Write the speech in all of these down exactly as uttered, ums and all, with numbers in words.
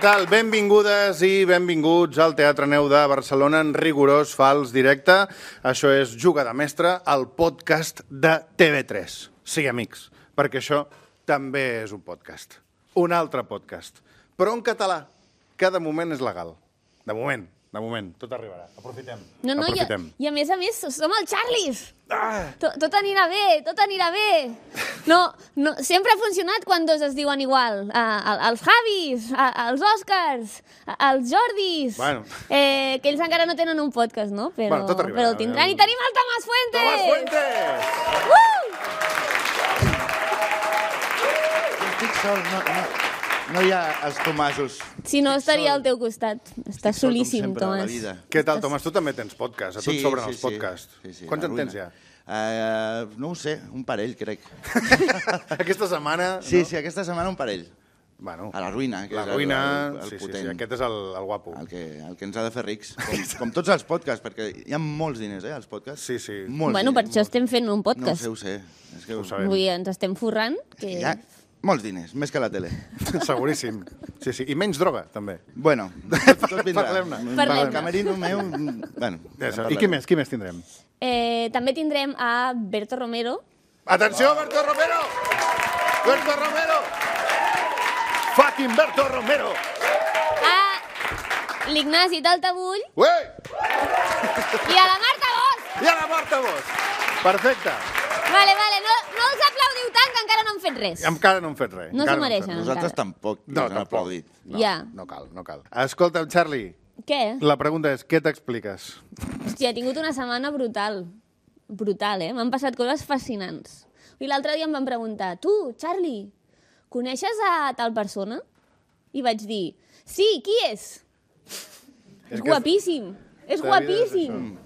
tal? Benvingudes i benvinguts al Teatre Neu de Barcelona en rigorós fals directe. Això és Juga de Mestre, el podcast de T V tres. Sí, amics, perquè això també és un podcast. Un altre podcast. Però en català, que de moment és legal. De moment, de moment. Tot arribarà. Aprofitem. No, no, Aprofitem. I, i a més a més som el Charlies. Ah! Tot, tot anirà bé, tot anirà bé. No, no, sempre ha funcionat quan dos es diuen igual. Uh, els Javis, uh, els Òscars, uh, els Jordis. Bueno. Eh, que ells encara no tenen un podcast, no? Però, Bueno, tot arribarà. però el tindran. I tenim el Tomàs Fuentes! Tomàs Fuentes! Uh! Estic sol, no, no, no hi ha els Tomasos. Si no, estaria al teu costat. Estàs Estic sol, com solíssim, sempre, a la Tomàs. vida. Què tal, Tomàs? Tu també tens podcast. A tu et sobren els podcasts. Sí, sí, Quants la en tens ruïna. ja? Uh, no ho sé, un parell, crec. Aquesta setmana... Sí, no? sí, aquesta setmana un parell. Bueno, A la ruïna, que la és el, ruïna... el, el sí, sí, potent. sí, aquest és el, el guapo. El que, el que ens ha de fer rics. Com, com tots els podcasts, perquè hi ha molts diners, eh, als podcasts. Sí, sí. Molts Bueno, per diners, això molts. estem fent un No ho podcast. sé, ho sé. És que Ho sabem. Vull dir, ens estem forrant. Que... hi ha molts diners, més que la tele. Seguríssim. Sí, sí. I menys droga, també. Bueno, tot vindrà. Parlem-ne. Parlem-ne. El camerino meu... Bueno, Ja ja I qui més? Qui més tindrem? Eh, també tindrem a Berto Romero. Atenció, Berto Romero! Berto Romero! Fucking Berto Romero! A l'Ignasi Taltabull Uei! i a la Marta Bosch. I a la Marta Bosch! Perfecte. Vale, vale, no, no els aplaudiu tant que encara no han fet res. Encara no hem fet res. No Encara s'ho hem fet mereixen. res. Nosaltres encara. tampoc No, ens han tampoc. aplaudit. No, Ja. no cal, no cal. Escolta'm, Charlie, Què? la pregunta és, què t'expliques? Hòstia, he tingut una setmana brutal. Brutal, eh? M'han passat coses fascinants. I l'altre dia em van preguntar, tu, Charlie, coneixes a tal persona? I vaig dir, sí, qui és? És És que- guapíssim. És La vida és guapíssim.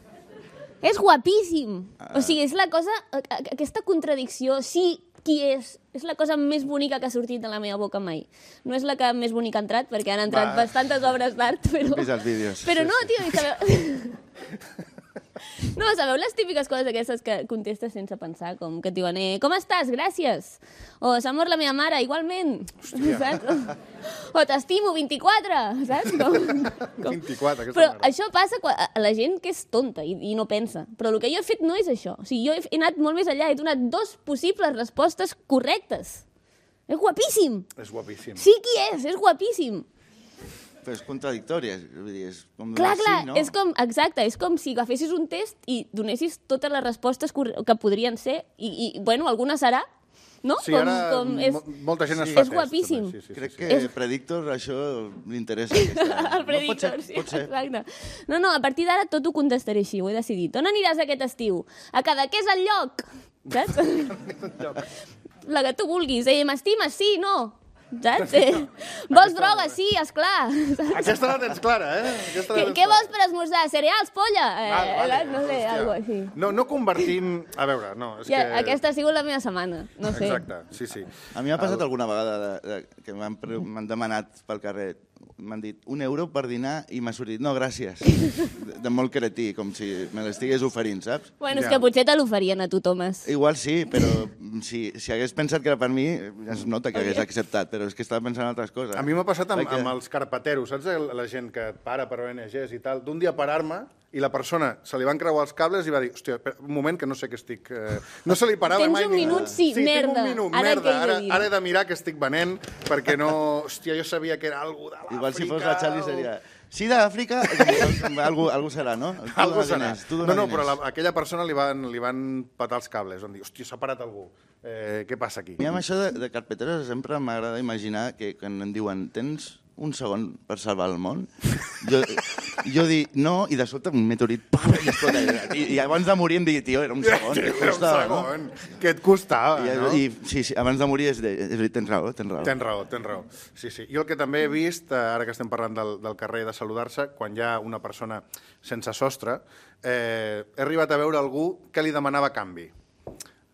És guapíssim. Ah. O sigui, és la cosa... a- a- Aquesta contradicció, sí, qui és? És la cosa més bonica que ha sortit de la meva boca mai. No és la que més bonica ha entrat, perquè han entrat Va. bastantes obres d'art, però... He vist els vídeos. Però Sí, no, sí. tio, i sabeu... No, sabeu les típiques coses aquestes que contestes sense pensar, com que et diuen, eh, com estàs? Gràcies. O s'ha mort la meva mare, igualment. Saps? O, o t'estimo, vint-i-quatre, saps? Com, com... vint-i-quatre, aquesta Però merda. això passa quan, a la gent que és tonta i, i no pensa. Però el que jo he fet no és això. O sigui, jo he, he anat molt més enllà, he donat dos possibles respostes correctes. És guapíssim. És guapíssim. Sí, qui és? És guapíssim. Però és contradictori, és, vull dir, és com Clar, donar clar, sí, no? és com, exacte, és com si agafessis un test i donessis totes les respostes corre- que podrien ser, i, i bueno, alguna serà, no? Sí, ara és, mo- molta gent es sí. fa És test, guapíssim. també. Sí, sí, Crec sí, que És- Predictor això li interessa. Aquesta... el predictor, no, pot ser, sí, pot ser. exacte. No, no, a partir d'ara tot ho contestaré així, ho he decidit. On aniràs aquest estiu? A Cadaqués al lloc, saps? La que tu vulguis. Eh, m'estimes? Sí, no. Saps? Eh, vols droga? Sí, esclar. Saps? Aquesta la tens clara, eh? Aquesta la Què, tens què clara. vols per esmorzar? Cereals, polla? Eh, Vale, vale. saps? No sé, Hòstia. algo així. No, no convertim... A veure, no, és Ja, que... aquesta ha sigut la meva setmana, no sé. Exacte, sí, sí. A mi m'ha passat alguna vegada de, de, que m'han pre- m'han demanat pel carrer, m'han dit un euro per dinar i m'ha sortit, no, gràcies. De, de molt cretí, com si me l'estigués oferint, saps? Bueno, és Ja. que potser te l'oferien a tu, Tomàs. Igual sí, però si, si hagués pensat que era per mi, es nota que hagués acceptat, però és que estava pensant en altres coses. A mi m'ha passat amb, Perquè- amb els carpeteros, saps? La gent que et para per O N Ges i tal. D'un dia parar-me i la persona se li van creuar els cables i va dir, hòstia, espera, un moment que no sé què estic... Eh... No se li parava Tens mai un ningú. minut? Sí, sí merda. tinc un minut, Ara merda. què he de Ara, dir? ara he de mirar què estic venent perquè no... Hòstia, jo sabia que era algú de l'Àfrica. Igual si fos la Charlie seria... Sí, d'Àfrica, algú, algú serà, no? Tu Algú dona serà. diners, tu No, dona no, diners. però la, aquella persona li van, li van patar els cables. Van dir, hòstia, s'ha parat algú. Eh, què passa aquí? A mi amb això de, de carpeteros sempre m'agrada imaginar que quan em diuen tens un segon per salvar el món, jo, jo dic no, i de sobte un meteorit pam, i, explota. I, i abans de morir em digui, tio, era un segon, Tio, què era un costava, no? segon. Què et costava, I, no? i, sí, sí, abans de morir és de, és, tens raó, tens raó. Tens raó, tens raó. Sí, sí. Jo el que també he vist, eh, ara que estem parlant del, del carrer de saludar-se, quan hi ha una persona sense sostre, eh, he arribat a veure algú que li demanava canvi.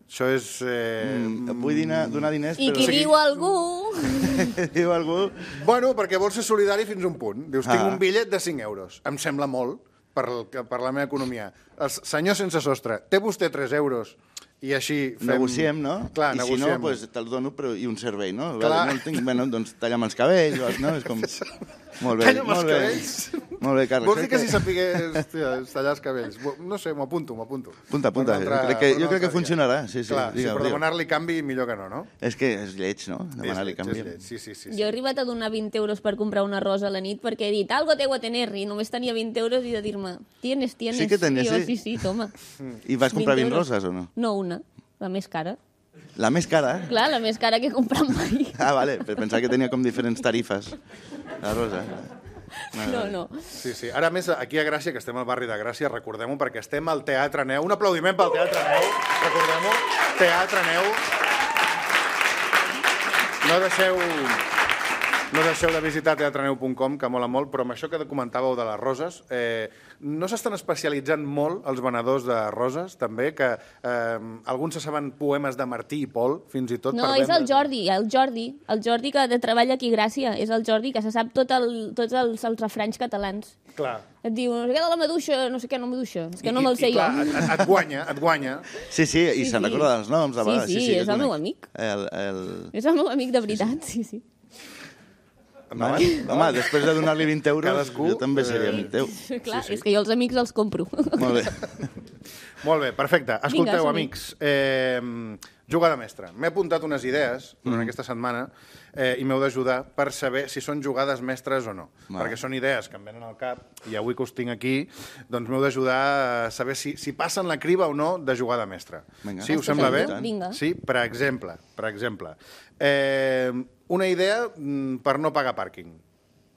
Això és... Eh... Mm, vull dinar, donar diners, I però... qui diu algú... diu algú... Bueno, perquè vols ser solidari fins a un punt. Dius, tinc Ah. un bitllet de cinc euros. Em sembla molt per, el, per la meva economia. El senyor sense sostre, té vostè tres euros I així fem... Negociem, no? Clar, I negociem. si no, doncs te'l dono però, i un servei, no? Clar. Vale, no el tinc, bueno, doncs talla'm els cabells, no? És com... Molt bé, Talla'm els molt bé. cabells. Molt bé, Carles. Vols dir que si sapigués hòstia, tallar els cabells? No sé, m'ho apunto, m'ho apunto. Punta, punta. Per un altre- crec que, per un jo crec que altre funcionarà. dia. Sí, sí, Clar, digue'm, sí, però digue'm. demanar-li canvi millor que no, no? És que és lleig, no? Demanar-li És canvi. lleig, és lleig. Sí, sí, sí. Jo sí. he arribat a donar vint euros per comprar una rosa a la nit perquè he dit, algo tengo a tener, i només tenia vint euros i de dir-me, tienes, tienes. Sí que tenies, I jo, sí? sí, sí, toma. I vas comprar vint euros. roses o no? No, una, la més cara. La més cara? Clar, la més cara que he comprat mai. Ah, vale, per pensar que tenia com diferents tarifes. La rosa. No, no. Sí, sí. Ara més, aquí a Gràcia, que estem al barri de Gràcia, recordem-ho, perquè estem al Teatre Neu. Un aplaudiment pel Teatre Neu. Recordem-ho. Teatre Neu. No deixeu... No deixeu de visitar teatreneu punt com, que mola molt, però amb això que comentàveu de les roses, eh, no s'estan especialitzant molt els venedors de roses, també, que eh, alguns se saben poemes de Martí i Pol, fins i tot No, per és el Jordi, el Jordi, el Jordi que de treballa aquí a Gràcia, és el Jordi que se sap tot el, tots els, els refranys catalans. Clar. Et diu, no sé què de la maduixa, no sé què, no maduixa, és que no I- me'l i, sé jo. clar, Et, et guanya, et guanya. Sí, sí, i Sí, se'n sí. recorda dels noms. De Sí, vegades. sí, que és el meu conec. amic. El, el... És el meu amic de veritat, sí, sí. Home, home, després de donar-li vint euros, Cadascú, jo també seria eh, amic teu. Clar, és que jo els amics els compro. Molt bé. Molt bé, perfecte. Escolteu, som-hi. amics, eh, jugada mestra. M'he apuntat unes idees durant Mm. aquesta setmana eh, i m'heu d'ajudar per saber si són jugades mestres o no. Va. Perquè són idees que em venen al cap i avui que us tinc aquí, doncs m'heu d'ajudar a saber si, si passen la criba o no de jugada mestra. Vinga. Sí, us sembla bé? Vinga. Sí, per exemple, per exemple, eh, una idea mm, per no pagar pàrquing.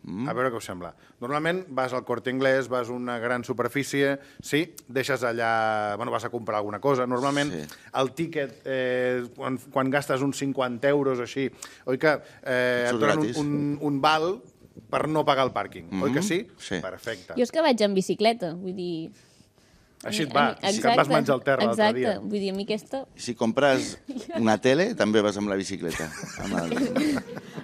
Mm. A veure què us sembla. Normalment vas al Corte Inglés, vas a una gran superfície, sí, deixes allà... Bueno, vas a comprar alguna cosa. Normalment Sí. el tíquet, eh, quan, quan gastes uns cinquanta euros o així, oi que eh, et Surt donen gratis. un, un, un val per no pagar el pàrquing, mm -hmm. oi que sí? Sí. Perfecte. Jo és que vaig en bicicleta, vull dir... Així et A mi- va, que et vas menjar el terra l'altre dia. Exacte, vull dir, a mi aquesta... Si compres una tele, també vas amb la bicicleta. Amb el...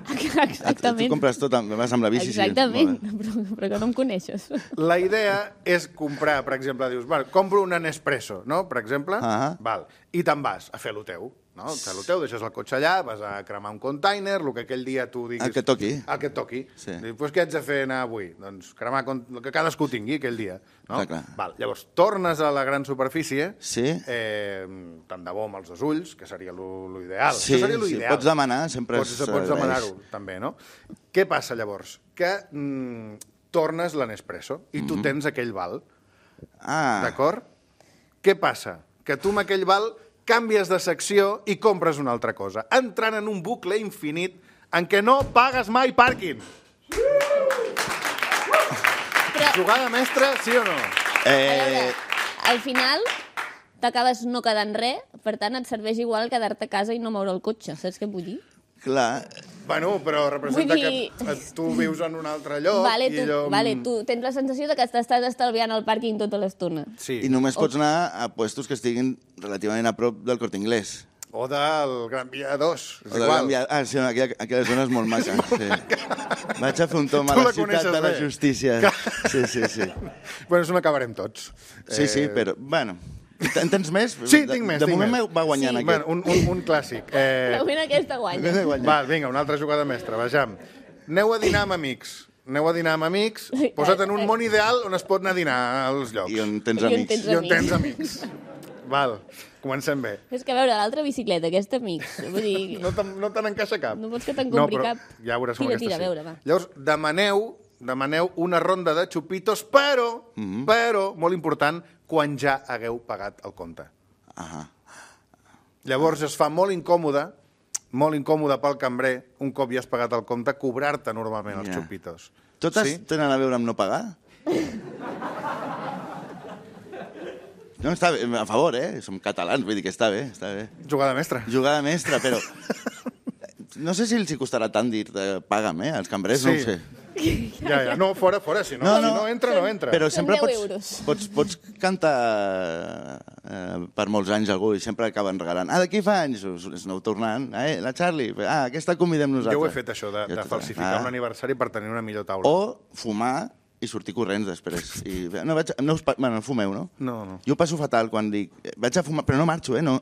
Tu Exactament. compres tot, amb- vas amb la bici. sí. Exactament, Molt bé. però, però que no em coneixes. La idea és comprar, per exemple, dius, val, compro un Nespresso, no?, per exemple, Ah. val, i te'n vas a fer lo teu, no? A fer lo teu, deixes el cotxe allà, vas a cremar un container, el que aquell dia tu diguis... El que toqui. El que et toqui. Sí. Dius, pues què haig de fer anar avui? Doncs cremar con- el que cadascú tingui aquell dia, no? Clar, clar. Val, llavors, tornes a la gran superfície, Sí. eh, tant de bo amb els dos ulls, que seria lo, lo ideal. Sí, Això seria lo sí, ideal. pots demanar, sempre Pots, s'agraeix. pots demanar-ho, també, no? Què passa, llavors? Que mm, tornes l'Nespresso i tu tens aquell val, Ah, d'acord? Què passa? Que tu amb aquell val canvies de secció i compres una altra cosa, entrant en un bucle infinit en què no pagues mai pàrquing. Però, Jugada mestra, sí o no? a veure, eh, al final t'acabes no quedant res, per tant et serveix igual quedar-te a casa i no moure el cotxe, saps què vull dir? clar, Bueno, però representa Vull dir- que eh, tu vius en un altre lloc Vale, i tu, allò... vale, tu tens la sensació de que t'estàs estalviant al pàrquing tota l'estona. Sí. i només pots anar a puestos que estiguin relativament a prop del Corte Inglés. O del Gran Via dos, és O de igual. Gran Via- Ah, sí, aquella, aquella zona és molt maca. Sí. Vaig a fer un tom a Tu la la ciutat coneixes de la bé. justícia. Sí, sí, sí. Bueno, és on acabarem tots. Sí, sí, Eh, però, bueno... En tens més? Sí, de, tinc més, De tinc moment més. va guanyant Sí. aquest. Bueno, un, un, un clàssic. Eh, Però bueno, aquesta guanya. Val, vinga, una altra jugada mestra, vejam. Aneu a dinar amb amics. Aneu a dinar amb amics, posa't en un món ideal on es pot anar a dinar als llocs. I on tens I on amics. tens I on amics. tens amics. Val, comencem bé. És que a veure, l'altra bicicleta, aquesta amics, vull dir... No te'n no te n'encaixa cap. No vols que te'n compri però cap? Ja veuràs com Tira, aquesta tira, sí. a veure, va. Llavors, demaneu, demaneu una ronda de xupitos, però, Mhm. però, molt important, quan ja hagueu pagat el compte. Ah, Llavors es fa molt incòmode, molt incòmode pel cambrer, un cop ja has pagat el compte, cobrar-te normalment els Ja. xupitos. totes Sí? tenen a veure amb no pagar? No, està bé, a favor, eh? Som catalans, vull dir que està bé, està bé. Jugada mestra. Jugada mestra, però... No sé si els hi costarà tant dir eh, paga'm, eh? Els cambrers, no Sí. ho sé. Ja, ja, no, fora, fora, si no, No, si no. no entra, no entra. Però Són sempre deu pots, euros. pots, pots cantar eh, per molts anys algú i sempre acaben regalant. Ah, d'aquí fa anys, us, us aneu tornant. Eh, la Charlie, ah, aquesta convidem nosaltres. Jo ho he fet, això, de, Jo de tot- falsificar ah. un aniversari per tenir una millor taula. O fumar i sortir corrents després. I, no, vaig, no, us, bueno, fumeu, no? No, no. Jo ho passo fatal quan dic, vaig a fumar, però no marxo, eh? No,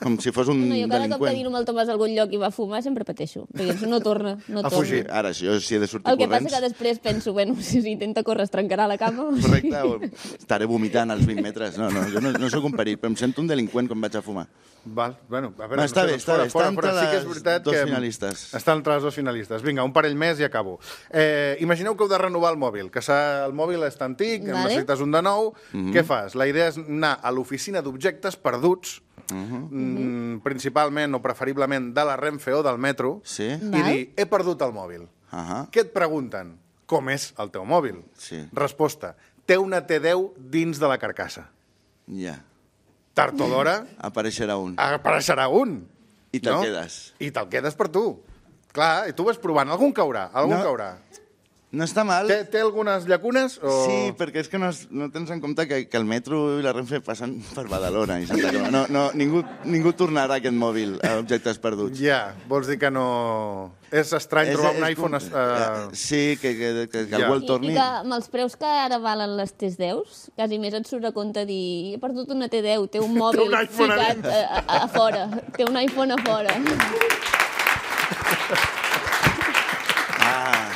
com si fos un No, jo cada cop que delinqüent. dino amb el Tomàs a algun lloc i va fumar sempre pateixo, perquè això no torna, no A torna. fugir. Ara, si jo si he de sortir El que corrents... passa que després penso, bueno, si intenta córrer es trencarà la cama. Correcte, o estaré vomitant als vint metres. No, no, jo no, no sóc un perill, però em sento un delinqüent quan vaig a fumar. Val, bueno, a veure, Va, està no sé, bé, doncs està fora, bé, fora, està fora. entre Sí que és les veritat dos que... finalistes. Està entre les dos finalistes. Vinga, un parell més i acabo. Eh, imagineu que heu de renovar el mòbil, que s'ha- el mòbil és antic, Vale. necessites un de nou. Què fas? La idea és anar a l'oficina d'objectes perduts, mm, principalment o preferiblement de la Renfe o del metro, Sí? i Val. dir, he perdut el mòbil. Ahà. Què et pregunten? Com és el teu mòbil? Sí. Resposta, té una T deu dins de la carcassa. Ja. Tard o d'hora Apareixerà un. apareixerà un. I te'l no? quedes. I te'l quedes per tu. Clar, i tu vas provant. Algun caurà, algun No. caurà. No està mal. Té, té algunes llacunes? O... Sí, perquè és que no, es- no tens en compte que, que el metro i la Renfe passen per Badalona i Santa Coloma. No, no, ningú, ningú tornarà aquest mòbil a objectes perduts. Ja, vols dir que no... És estrany És- trobar un és iPhone... com- Uh... Sí, que, que, que, que Ja. algú el I, torni. I que amb els preus que ara valen les T deus, quasi més et surt a compte dir he perdut una T deu, té un mòbil un iPhone a ficat a, a, a fora, té un iPhone a fora. Ah,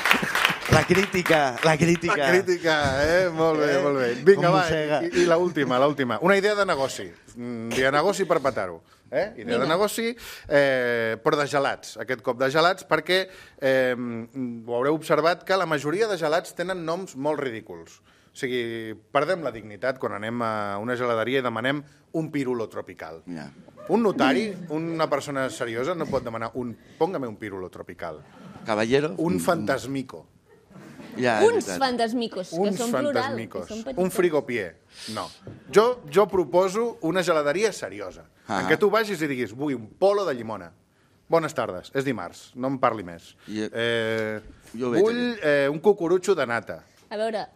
la crítica, la crítica. La crítica, eh? Molt bé, Eh? molt bé. Vinga, Com va, mossega. i, i l'última, l'última. Una idea de negoci. Mm, idea de negoci per petar-ho. Eh? Idea de Vinga. negoci, eh, però de gelats. Aquest cop de gelats, perquè eh, ho haureu observat que la majoria de gelats tenen noms molt ridículs. O sigui, perdem la dignitat quan anem a una geladeria i demanem un pirulo tropical. Ja. Un notari, una persona seriosa, no pot demanar un... Póngame un pirulo tropical. Caballero. Un fantasmico. Ja, és Uns veritat. fantasmicos, que Uns són plural. fantasmicos. Que són petits. Un frigopier. No. Jo, jo proposo una geladeria seriosa, Ah. en què tu vagis i diguis, vull un polo de llimona. Bones tardes, és dimarts, no em parli més. Jo- Eh, jo veig vull eh, un cucurutxo de nata. A veure,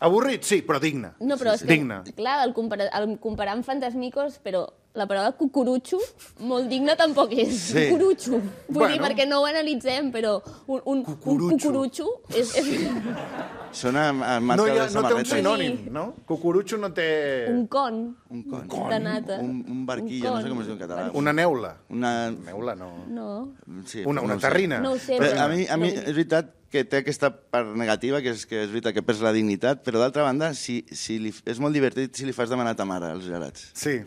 Avorrit, sí, però digne. no, però és que, Digne. clar, el, compara, el comparar amb fantasmicos, però la paraula cucurutxo, molt digne tampoc és. Sí. Cucurutxo. Vull Bueno. dir, perquè no ho analitzem, però un, un, un Cucurutxo. cucurutxo és, és Sona a, a marca No, hi ha, de no té un samarreta. sinònim, no? Cucurutxo no té... un con Un con. de nata. Un, un barquillo, Un no sé con. com es diu en català. Una neula. Una... Neula, no. No. Sí, Una, però una no ho sé. terrina. No ho sé, Però però- a mi, a mi no. és veritat que té aquesta part negativa, que és que és veritat que perds la dignitat, però d'altra banda, si, si li, és molt divertit si li fas demanar a ta mare els gelats. Sí.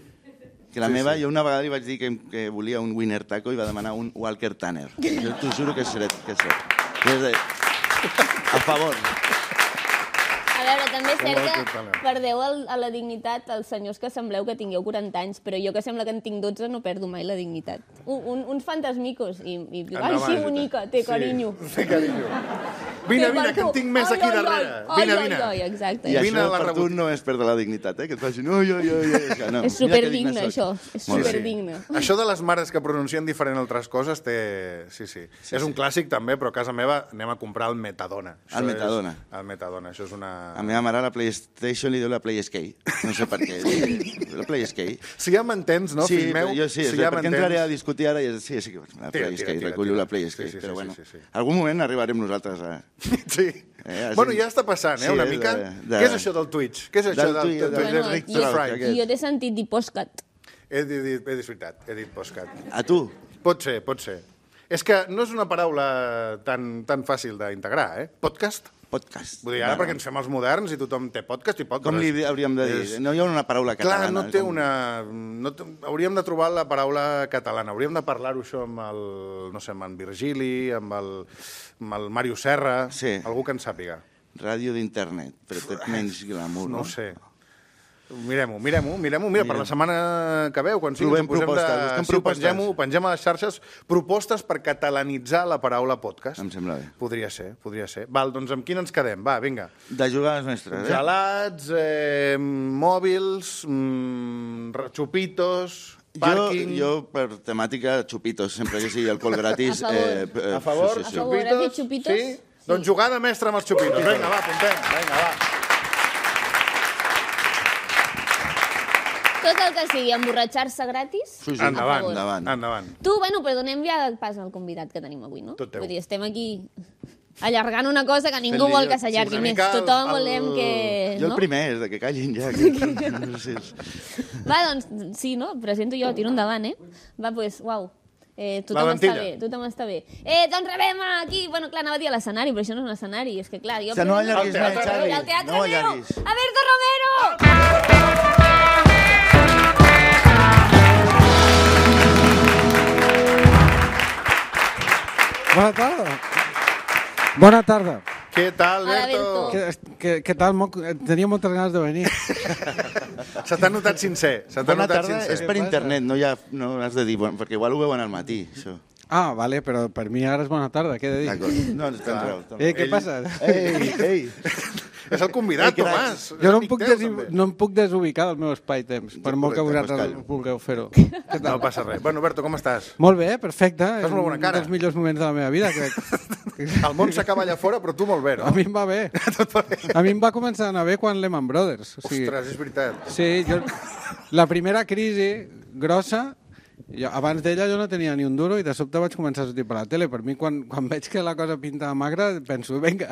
Que la Sí, meva, sí. jo una vegada li vaig dir que, que volia un Winner Taco i va demanar un Walker Tanner. Jo t'ho juro que és cert. Que és cert. Que és de... A favor. A veure, també és cert Molt que total. perdeu el, a la dignitat els senyors que sembleu que tingueu quaranta anys, però jo que sembla que en tinc dotze no perdo mai la dignitat. Un, un, uns fantasmicos i, i diu, ai, Endavant, sí, Jota. bonica, té carinyo. Sí, té carinyo. Vine, Té vine, per que en tu. tinc més Ai, aquí ai, darrere. ai, Vine, ai, vine. ai, exacte. I Vine a això la per tu rebut. no és perdre la dignitat, eh? Que et facin ui, ui, ui, ui. És, que no. És Mira que superdigne, digne això. soc. És Molt bé. superdigne. Això de les mares que pronuncien diferent altres coses té... Sí, sí. sí és un clàssic també, però a casa meva anem a comprar el Metadona. Això El Metadona. És... El Metadona, això és una... A meva mare a la PlayStation li diu la PlaySkate. No sé per què. La PlaySkate. Si ja m'entens, no, sí, fill meu? però jo sí, si sí ja perquè entraré a discutir ara i és, sí, sí, que la Tira, PlaySkate, tira, tira, recullo tira. la PlaySkate, Sí, sí, però sí, bueno, sí, sí, sí. algun moment arribarem nosaltres a... Sí. Eh, així- Bueno, ja està passant, eh, Sí, una és mica. de- de- Què és això del Twitch? Què és això Del del, Twitch, del, del- del, del Rick jo, Trout, Fry? aquest. jo t'he sentit dir postcat. He dit, he dit veritat, he dit postcat. A tu? Pot ser, pot ser. És que no és una paraula tan, tan fàcil d'integrar, eh? Podcast? Podcast. Vull dir, ara Bueno, perquè ens fem els moderns i tothom té podcast i podcast. Com li hauríem de dir? És- No hi ha una paraula catalana. Clar, no té com- una... No té... Hauríem de trobar la paraula catalana. Hauríem de parlar-ho això amb el... No sé, amb en Virgili, amb el, amb el Mario Serra... Sí. Algú que en sàpiga. Ràdio d'internet, però té menys glamour, No no? ho sé. Mirem-ho, mirem-ho, mirem-ho. Mira, per la setmana que ve, quan sigui, Provem ens ho posem propostes, de... busquem Sí, ho propostes. pengem, ho pengem a les xarxes. Propostes per catalanitzar la paraula podcast. Em sembla bé. Podria ser, podria ser. Val, doncs amb quin ens quedem? Va, vinga. De jugar a les mestres, eh? Gelats, eh, mòbils, mm, ra- xupitos, pàrquing... Jo, jo, per temàtica, xupitos, sempre que sigui alcohol gratis. A favor. Eh, eh, A favor, sí, sí, sí. A favor, has dit xupitos? Sí? Doncs jugada mestra amb els xupitos. Vinga, va, apuntem. Vinga, va. Tot el que sigui emborratxar-se gratis, Sí, sí. a Endavant, favor. endavant. Endavant. Tu, bueno, però donem ja pas al convidat que tenim avui, no? Tot teu. Vull dir, estem aquí... allargant una cosa que ningú Fent-li vol que jo- s'allargui sí, una més. mica el- Tothom el- volem que... Jo el no? primer és de que callin ja. Que... No sé si és... Va, doncs, sí, no? Presento jo, tiro endavant, eh? Va, doncs, uau. Eh, tothom La està lentilla. bé, tothom està bé. Eh, doncs rebem aquí... Bueno, clar, anava a dir a l'escenari, però això no és un escenari. És que, clar, jo... Que no presento- allarguis El més, teatre Xavi. El teatre No meu! allarguis. Alberto Romero! Bona tarda. Bona tarda. Què tal, Alberto. Alberto? Què, què, què tal? Mo- Tenia moltes ganes de venir. Se t'ha notat sincer. Se t'ha Bona notat tarda sincer. és per Què passa? internet, no, ja, no has de dir, bueno, perquè igual ho veuen al matí, això. Ah, vale, però per mi ara és bona tarda, què he de dir? D'acord. No, tens raó. tens Eh, raó. què passa? Ei, ei. És el convidat, Ei, cracs. Tomàs. És Jo no em, amic puc teu, des... també. no em puc desubicar del meu espai-temps, per molt que correcte, vosaltres pues vulgueu fer-ho. No passa res. Bueno, Alberto, com estàs? Molt bé, perfecte. Fas molt bona És cara. un dels millors moments de la meva vida, crec. El món s'acaba allà fora, però tu molt bé, no? A mi em va bé. A mi em va començar a anar bé quan Lehman Brothers. O sigui, Ostres, és veritat. sí, jo... La primera crisi grossa, jo, abans d'ella jo no tenia ni un duro i de sobte vaig començar a sortir per la tele. Per mi, quan, quan veig que la cosa pinta magra, penso, vinga,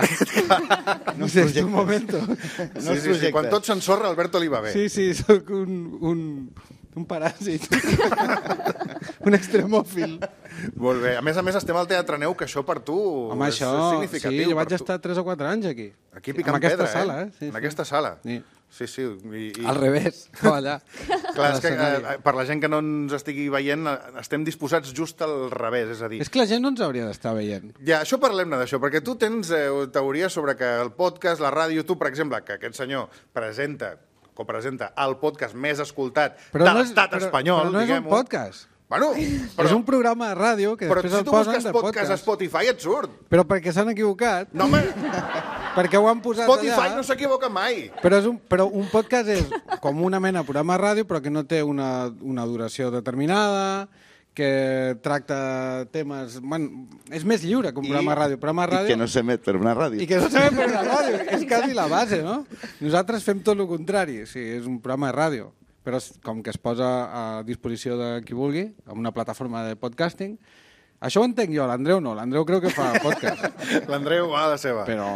no sé, és un moment. No sí, es sí, sí. Quan projectes. tot s'ensorra, a Alberto li va bé. Sí, sí, sóc un, un, un paràsit. Un extremòfil. Molt bé. A més a més, estem al Teatre Neu, que això per tu Home, és, això... és Sí, significatiu. jo vaig per tu. estar tres o quatre anys aquí. Aquí picant en aquesta pedra, sala, eh? eh? Sí, en sí. aquesta sala. Sí. Sí, sí. I, i... Al revés, no allà. Clar, a és que l'escenari. eh, per la gent que no ens estigui veient, eh, estem disposats just al revés, és a dir... És que la gent no ens hauria d'estar veient. Ja, això parlem-ne d'això, perquè tu tens eh, teories sobre que el podcast, la ràdio, tu, per exemple, que aquest senyor presenta, copresenta el podcast més escoltat de no és- l'estat però- espanyol, Però no és un diguem-ho. podcast. Bueno, Però... És un programa de ràdio que però després si el tu posen busques de podcast a podcast. Spotify et surt. Però perquè s'han equivocat, No, home, perquè ho han posat Spotify allà... no s'equivoca mai. Però, és un, però un podcast és com una mena de programa de ràdio, però que no té una, una duració determinada, que tracta temes... Bueno, és més lliure que un I- programa de ràdio. Programa de I ràdio... que no s'emet per una ràdio. I que no sabem per una ràdio. És quasi la base, no? Nosaltres fem tot el contrari. Sí, és un programa de ràdio, però es- com que es posa a disposició de qui vulgui, amb una plataforma de podcasting. Això ho entenc jo, l'Andreu no. L'Andreu creu que fa podcast. L'Andreu va a la seva. Però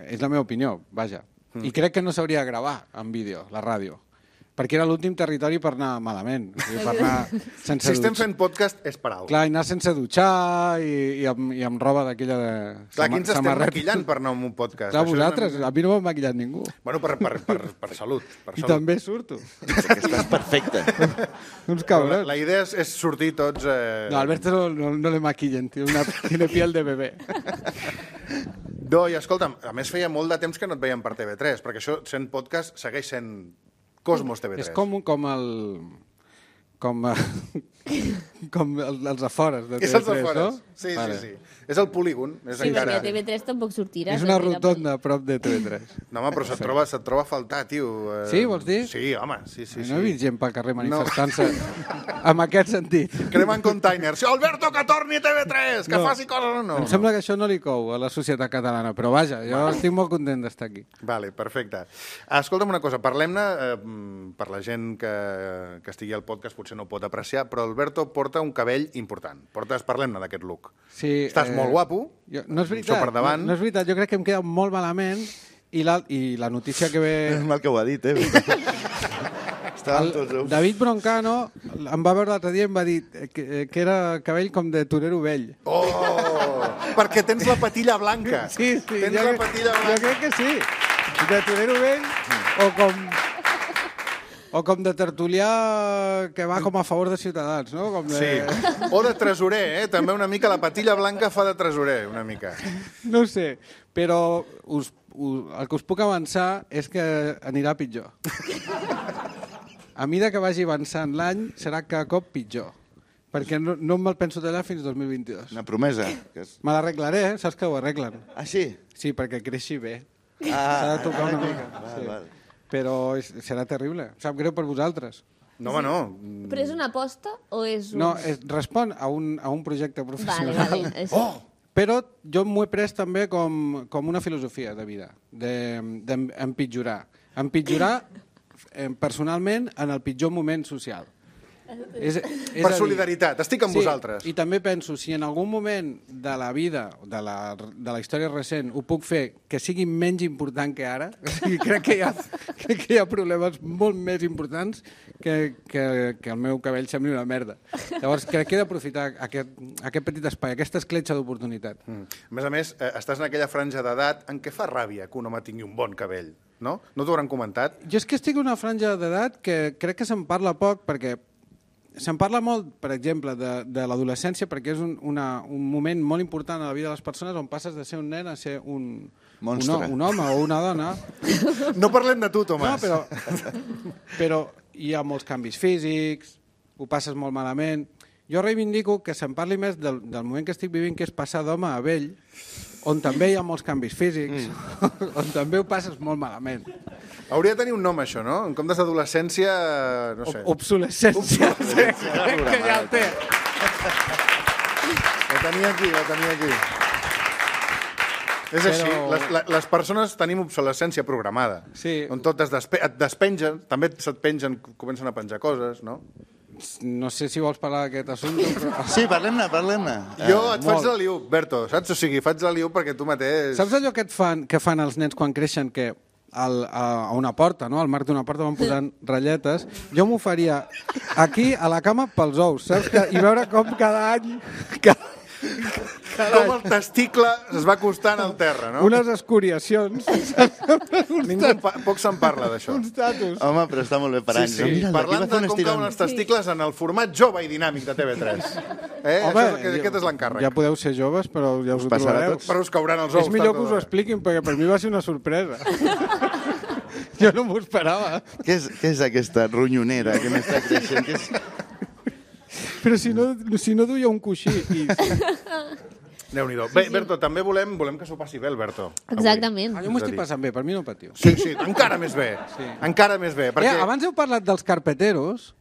és la meva opinió, vaja. I crec que no s'hauria de gravar en vídeo, la ràdio. Perquè era l'últim territori per anar malament. O sigui, per anar sense Si estem dutxar. fent podcast és per alguna Clar, i anar sense dutxar i, i, amb, i amb roba d'aquella de... Clar, sama- qui ens estem samarreta. maquillant per anar a un podcast? Clar, Això és una vosaltres. mica- A mi no m'ha maquillat ningú. Bueno, per, per, per, per salut. Per I salut. també surto. Perquè estàs perfecte. Uns La, cabrons. la idea és, és sortir tots... Eh... No, Alberto no, no, no le maquillen, tiene, una, tiene piel de bebé. No, i escolta'm, a més feia molt de temps que no et veiem per T V tres, perquè això, sent podcast, segueix sent Cosmos T V tres. És com, com el... Com, com el, els afores de T V tres, És els afores. no? Sí, Vale. sí, sí. És el polígon. És Sí, encara... perquè a T V tres tampoc sortiràs. És una a fer la rotonda a prop de T V tres. No, home, però se't troba, se't troba a faltar, tio. Eh, Sí, vols dir? Sí, home, sí, sí. No he sí. vist gent pel carrer manifestant-se en aquest sentit. Cremant containers. Alberto, que torni a T V tres, que No. faci coses o no. Em sembla que això no li cou a la societat catalana, però vaja, jo estic molt content d'estar aquí. Vale, perfecte. Escolta'm una cosa, parlem-ne, eh, per la gent que, que estigui al podcast potser no ho pot apreciar, però Alberto porta un cabell important. Portes, parlem-ne d'aquest look. Sí, Estàs molt guapo. Jo, no és Això veritat, per davant. no, no és veritat, jo crec que em queda molt malament i la, i la notícia que ve... És mal que ho ha dit, eh? Estàvem El tots... David Broncano em va veure l'altre dia i em va dir que, que era cabell com de torero vell. Oh! Perquè tens la patilla blanca. Sí, sí, Tens jo, la crec- patilla jo blanca. crec que sí. De torero vell o com... O com de tertulià que va com a favor de Ciutadans, no? Com de... Sí. O de tresorer, eh? També una mica la patilla blanca fa de tresorer, una mica. No ho sé, però us, us, el que us puc avançar és que anirà pitjor. A mida que vagi avançant l'any, serà cada cop pitjor. Perquè no, no me'l penso tallar fins dos mil vint-i-dos. Una promesa. Que és... Me l'arreglaré, eh? Saps que ho arreglen? Ah, sí? Sí, perquè creixi bé. Ah, S'ha de tocar una ah, mica. Val, Sí. val. Però és, serà terrible. Sap greu per vosaltres. No, home, no. Però és una aposta o és un... No, es, respon a un, a un projecte Vale, professional. vale. És... Oh! Però jo m'ho he pres també com, com una filosofia de vida, d'empitjorar. De, empitjorar eh, personalment en el pitjor moment social. És, és Per a dir, solidaritat, estic amb sí, vosaltres. I també penso, si en algun moment de la vida, de la, de la història recent, ho puc fer que sigui menys important que ara, o sigui, crec, que hi ha, crec que hi ha problemes molt més importants que, que, que el meu cabell sembli una merda. Llavors, crec que he d'aprofitar aquest, aquest petit espai, aquesta escletxa d'oportunitat. Mm. A més a més, eh, estàs en aquella franja d'edat en què fa ràbia que un home tingui un bon cabell, no? No t'ho hauran comentat? Jo és que estic en una franja d'edat que crec que se'n parla poc, perquè se'n parla molt, per exemple, de, de l'adolescència, perquè és un, una, un moment molt important a la vida de les persones on passes de ser un nen a ser un, un, un home o una dona. No parlem de tu, Tomàs. No, però, però hi ha molts canvis físics, ho passes molt malament. Jo reivindico que se'n parli més del, del moment que estic vivint, que és passar d'home a vell, on també hi ha molts canvis físics, mm. on també ho passes molt malament. Hauria de tenir un nom, això, no? En comptes d'adolescència, no sé. Obsolescència. Obsolescència. Crec que ja el té. La tenia aquí, la tenia aquí. És Però... així, les, les persones tenim obsolescència programada. Sí. On tot es despe et despengen, també se't pengen, comencen a penjar coses, no? No sé si vols parlar d'aquest assumpte, però... Sí, parlem-ne, parlem-ne. Jo et faig molt. la liu, Berto, saps? O sigui, faig la liu perquè tu mateix... Saps allò que, et fan, que fan els nens quan creixen, que al, a, a una porta, no? Al marc d'una porta van posant ratlletes? Jo m'ho faria aquí, a la cama, pels ous, saps? Que, I veure com cada any... Cada, cada Com any el testicle es va acostant al terra, no? unes escoriacions, Ningú pa poc se'n parla d'això. uns tatus. Home, però està molt bé per Sí, anys. sí. Mira, Parlant d'aquí va fer de un com estirón. cauen els testicles en el format jove i dinàmic de T V tres. Eh? Home, Això és, el que- aquest és l'encàrrec. Ja podeu ser joves, però ja us ho passarà trobareu. tots. Però us cauran els ous. És millor tard o que us ho d'hora. expliquin, perquè per mi va ser una sorpresa. Jo no m'ho esperava. Què és, què és aquesta ronyonera que m'està creixent? Què és... Però si no, si no duia un coixí i... Déu-n'hi-do. Bé, Berto, també volem, volem que s'ho passi bé, el Berto. avui. Exactament. Ah, jo m'ho estic passant bé, per mi no patiu. Sí, sí, encara més bé. Sí. Encara més bé. Perquè... Eh, abans heu parlat dels carpeteros.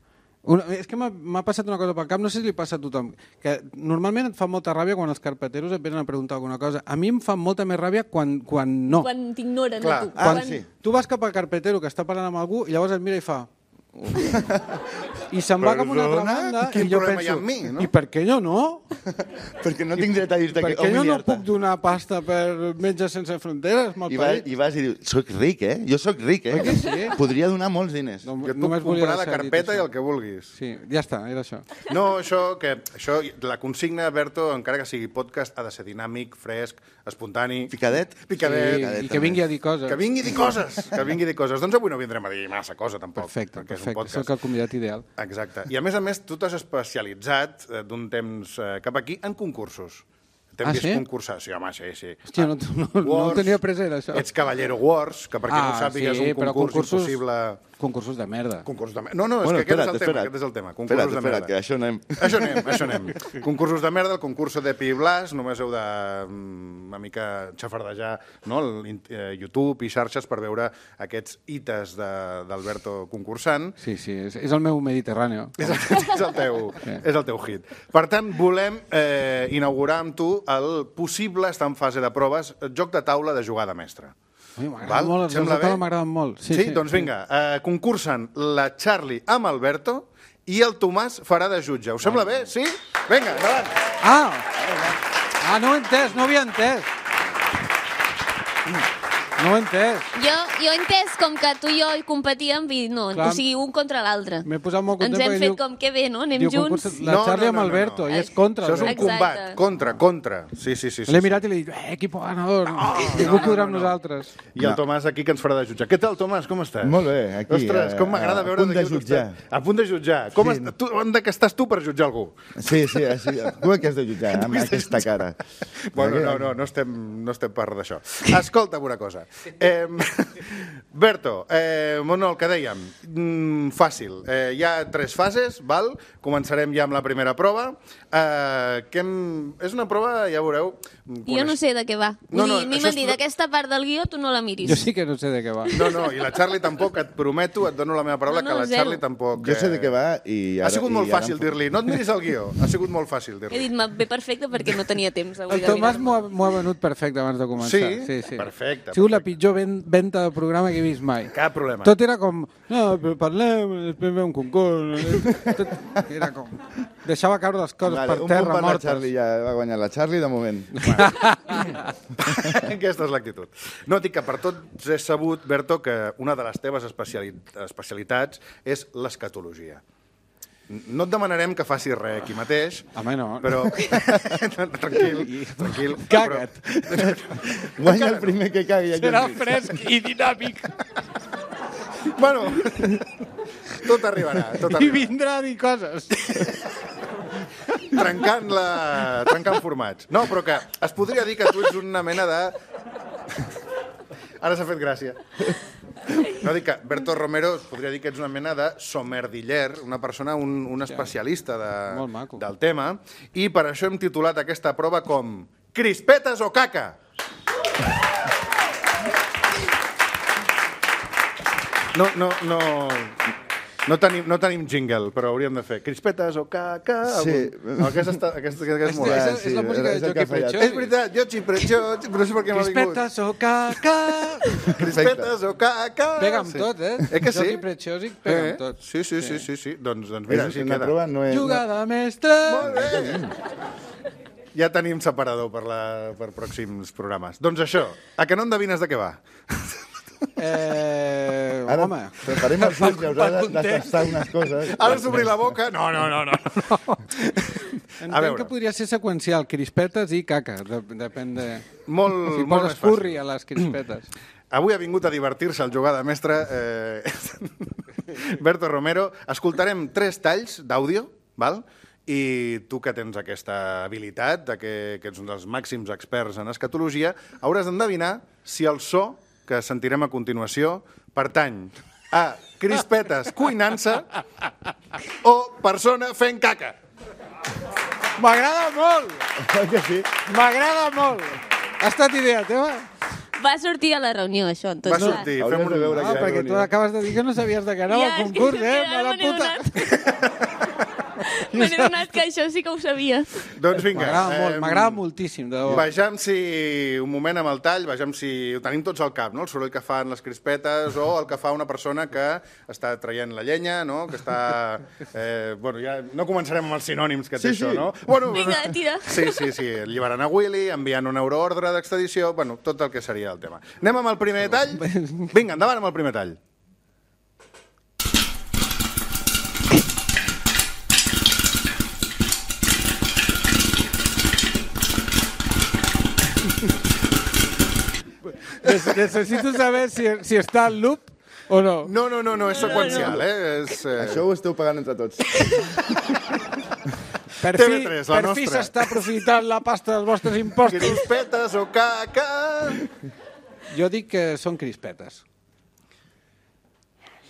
Una, és que m'ha- m'ha passat una cosa pel cap, no sé si li passa a tothom, que normalment et fa molta ràbia quan els carpeteros et venen a preguntar alguna cosa. A mi em fa molta més ràbia quan, quan no. Quan t'ignoren, Clar. a tu. Ah, quan... sí. Tu vas cap al carpetero que està parlant amb algú i llavors et mira i fa... I se'n va cap a una altra Perdona? banda Quin i jo problema penso, hi ha amb mi, no? i per què jo no? Perquè no tinc dret a dir-te Per que... què jo no humiliar-te. puc donar pasta per Metges Sense Fronteres? I, va, I vas i dius, soc ric, eh? Jo soc ric, eh? Oi que sí? Podria donar molts diners. No, Jo et puc només volia comprar la deixar dit carpeta i això. el que vulguis. Sí, ja està, era això. No, això, que, això, la consigna, Berto, encara que sigui podcast, ha de ser dinàmic, fresc, espontani... Picadet? Picadet. Sí, I que vingui a dir coses. Que vingui a dir coses, que vingui a dir coses. Doncs avui no vindrem a dir massa cosa, tampoc. Perfecte, perquè és un perfecte. podcast. Sóc el convidat ideal. Exacte. I a més a més, tu t'has especialitzat eh, d'un temps eh, cap aquí en concursos. T'hem Ah, vist sí? concursar, sí, home, sí, sí. Hòstia, no, no, no ho tenia present, això. Ets Cavallero Wars, que per qui no ho Ah, sàpiga sí, és un però concurs concursos- impossible... Concursos de merda. Concursos de merda. No, no, és Bueno, que aquest espera't, és el tema, espera't. aquest és el tema. Concursos Espera't, de espera't, merda. que això anem. Això anem, això anem. Concursos de merda, el concurs de Pi i Blas, només heu de mm, una mica xafardejar, no? el, eh, YouTube i xarxes per veure aquests hites de- d'Alberto concursant. Sí, sí, és, és el meu Mediterrani. És el, és, el teu, és el teu hit. Per tant, volem eh, inaugurar amb tu el possible, està en fase de proves, joc de taula de jugada mestra. M'agrada Val? molt, els Sembla jocs de taula bé? m'agraden molt. Sí, sí, doncs vinga, eh, concursen la Charlie amb Alberto i el Tomàs farà de jutge. Us sembla bé? Sí? Vinga, endavant. Ah! Ah, no ho he entès, no ho havia entès. No ho he entès. Jo, jo he entès com que tu i jo hi competíem i no, Clar. o sigui, un contra l'altre. M'he posat molt content Ens hem perquè fet diu- com que bé, no? Anem diu, junts. concurs- La Charlie amb Alberto, i és contra Això és un Alberto. Exacte. combat, contra, contra. Sí, sí, sí. sí, L'he sí. mirat i li he dit, eh, equipo ganador, No, ningú no, podrà no, amb no. nosaltres. I el Tomàs aquí que ens farà de jutjar. Què tal, Tomàs? Com estàs? Molt bé, aquí, Ostres, com eh, m'agrada a veure punt de d'aquí on jutjar. estàs. A punt de jutjar. Com Sí. est... tu, on de que estàs tu per jutjar algú? Sí, sí, sí. Tu què has de jutjar amb aquesta cara? Bueno, Perquè- no, no, no estem, no estem per d'això. Escolta'm una cosa. Eh, Berto, eh, bueno, el que dèiem, mm, fàcil. Eh, hi ha tres fases, val? Començarem ja amb la primera prova. Eh, que hem... És una prova, ja veureu... Jo no sé de què va. No, Vull no, dir, a mi això m'han és- dit, aquesta part del guió tu no la miris. Jo sí que no sé de què va. No, no, i la Charlie tampoc, et prometo, et dono la meva paraula, No, no, que la zero. Charlie tampoc... Jo sé de què va i ara... Ha sigut molt i ara fàcil em- dir-li, no et miris el guió. Ha sigut molt fàcil He dir-li. dit, "Me ve perfecte perquè no tenia temps avui El de Tomàs mirar-me." m'ho ha, m'ho ha venut perfecte abans de començar. Sí? sí, sí. Perfecte, Ha sigut la la pitjor ven venta de programa que he vist mai. Cap problema. Tot era com, no, però parlem, després ve un concurs... Tot era com... Deixava caure les coses Vale, per un terra punt per la mortes. Charlie, ja va guanyar la Charlie de moment. Aquesta és l'actitud. No, dic que per tots he sabut, Berto, que una de les teves especiali especialitats és l'escatologia. No et demanarem que facis res aquí mateix, Home, no. però... tranquil, tranquil. Caga't. Però... Guanya el primer que cagui. Serà fresc i dinàmic. Bueno, tot arribarà, tot I arribarà. vindrà a dir coses. Trencant, la... Trencant formats. No, però que es podria dir que tu ets una mena de... Ara s'ha fet gràcia. No, dic que Berto Romero es podria dir que ets una mena de somerdiller, una persona, un, un especialista de, Molt maco. del tema, i per això hem titulat aquesta prova com Crispetes o caca? No, no, no... No tenim, no tenim jingle, però hauríem de fer crispetes o caca... Sí. Algun... No, aquesta, està, aquesta, aquesta és molt... És, Ja, és, sí, és la música és de el que Joaquim ha fallat. Pretxós. És veritat, jo xipretxó, però no sé per què m'ha vingut. Crispetes o caca... Crispetes o caca... Pega amb tot, eh? Eh que sí? Joaquim Pretxós pega Eh? amb tot. Sí, sí, sí, sí, sí. Doncs, doncs mira, És així una queda. prova, no és... Jugada mestra... Molt bé. Ja tenim separador per, la, per pròxims programes. Doncs això, a que no endevines de què va? Eh, Ara home... preparem els ulls i haurà de, de tastar unes coses. Ara has d'obrir la boca? No, no, no, no. Entenc veure. que podria ser seqüencial, crispetes i caca. De, depèn de... Molt, Si molt poses més fàcil. curri a les crispetes. Avui ha vingut a divertir-se el jugada mestre eh... Berto Romero. Escoltarem tres talls d'àudio, val? I tu que tens aquesta habilitat, de que, que ets un dels màxims experts en escatologia, hauràs d'endevinar si el so que sentirem a continuació pertany a crispetes cuinant-se o persona fent caca. M'agrada molt! Oi que sí? M'agrada molt! Ha estat idea teva? Va sortir a la reunió, això. En tot Va cas. sortir, Hauries fem de un... veure Ah, que perquè tu ironia. acabes de dir que no sabies de què anava Ja, el és que concurs, eh? ara Mala me n'he puta! Me n'he donat que això sí que ho sabia. Doncs vinga. M'agrada molt, em, m'agrada moltíssim, de debò. Vejam si, un moment amb el tall, vejam si ho tenim tots al cap, no? El soroll que fan les crispetes o el que fa una persona que està traient la llenya, no? Que està... Eh, bueno, ja no començarem amb els sinònims que té Sí, això, sí. no? Bueno, Vinga, tira. Sí, sí, sí. Alliberant a Willy, enviant un euroordre d'extradició, bueno, tot el que seria el tema. Anem amb el primer tall? Vinga, endavant amb el primer tall. Nes- Necessito saber si, si està al loop o no. No, no, no, no és seqüencial, eh? És, eh... Això ho esteu pagant entre tots. Per T fi, V tres, la per fi nostra. s'està aprofitant la pasta dels vostres impostos. Crispetes o caca... Jo dic que són crispetes.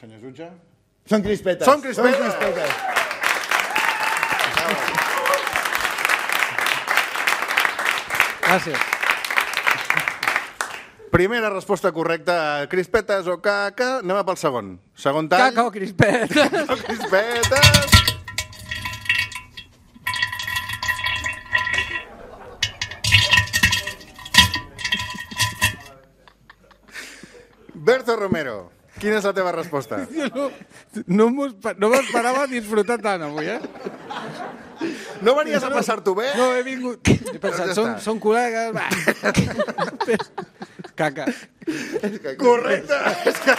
Senyor jutge? Són crispetes. Són crispetes. Són crispetes. Gràcies. Primera resposta correcta, crispetes o caca. Anem a pel segon. Segon tall. Caca o crispeta. O crispetes. Berto Romero, quina és la teva resposta? No, no m'ho espe- no m'esperava disfrutar tant avui, eh? No venies a passar-t'ho bé? No, he vingut... He pensat, ja són, està. són col·legues... Va. Caca. Correcte. És que...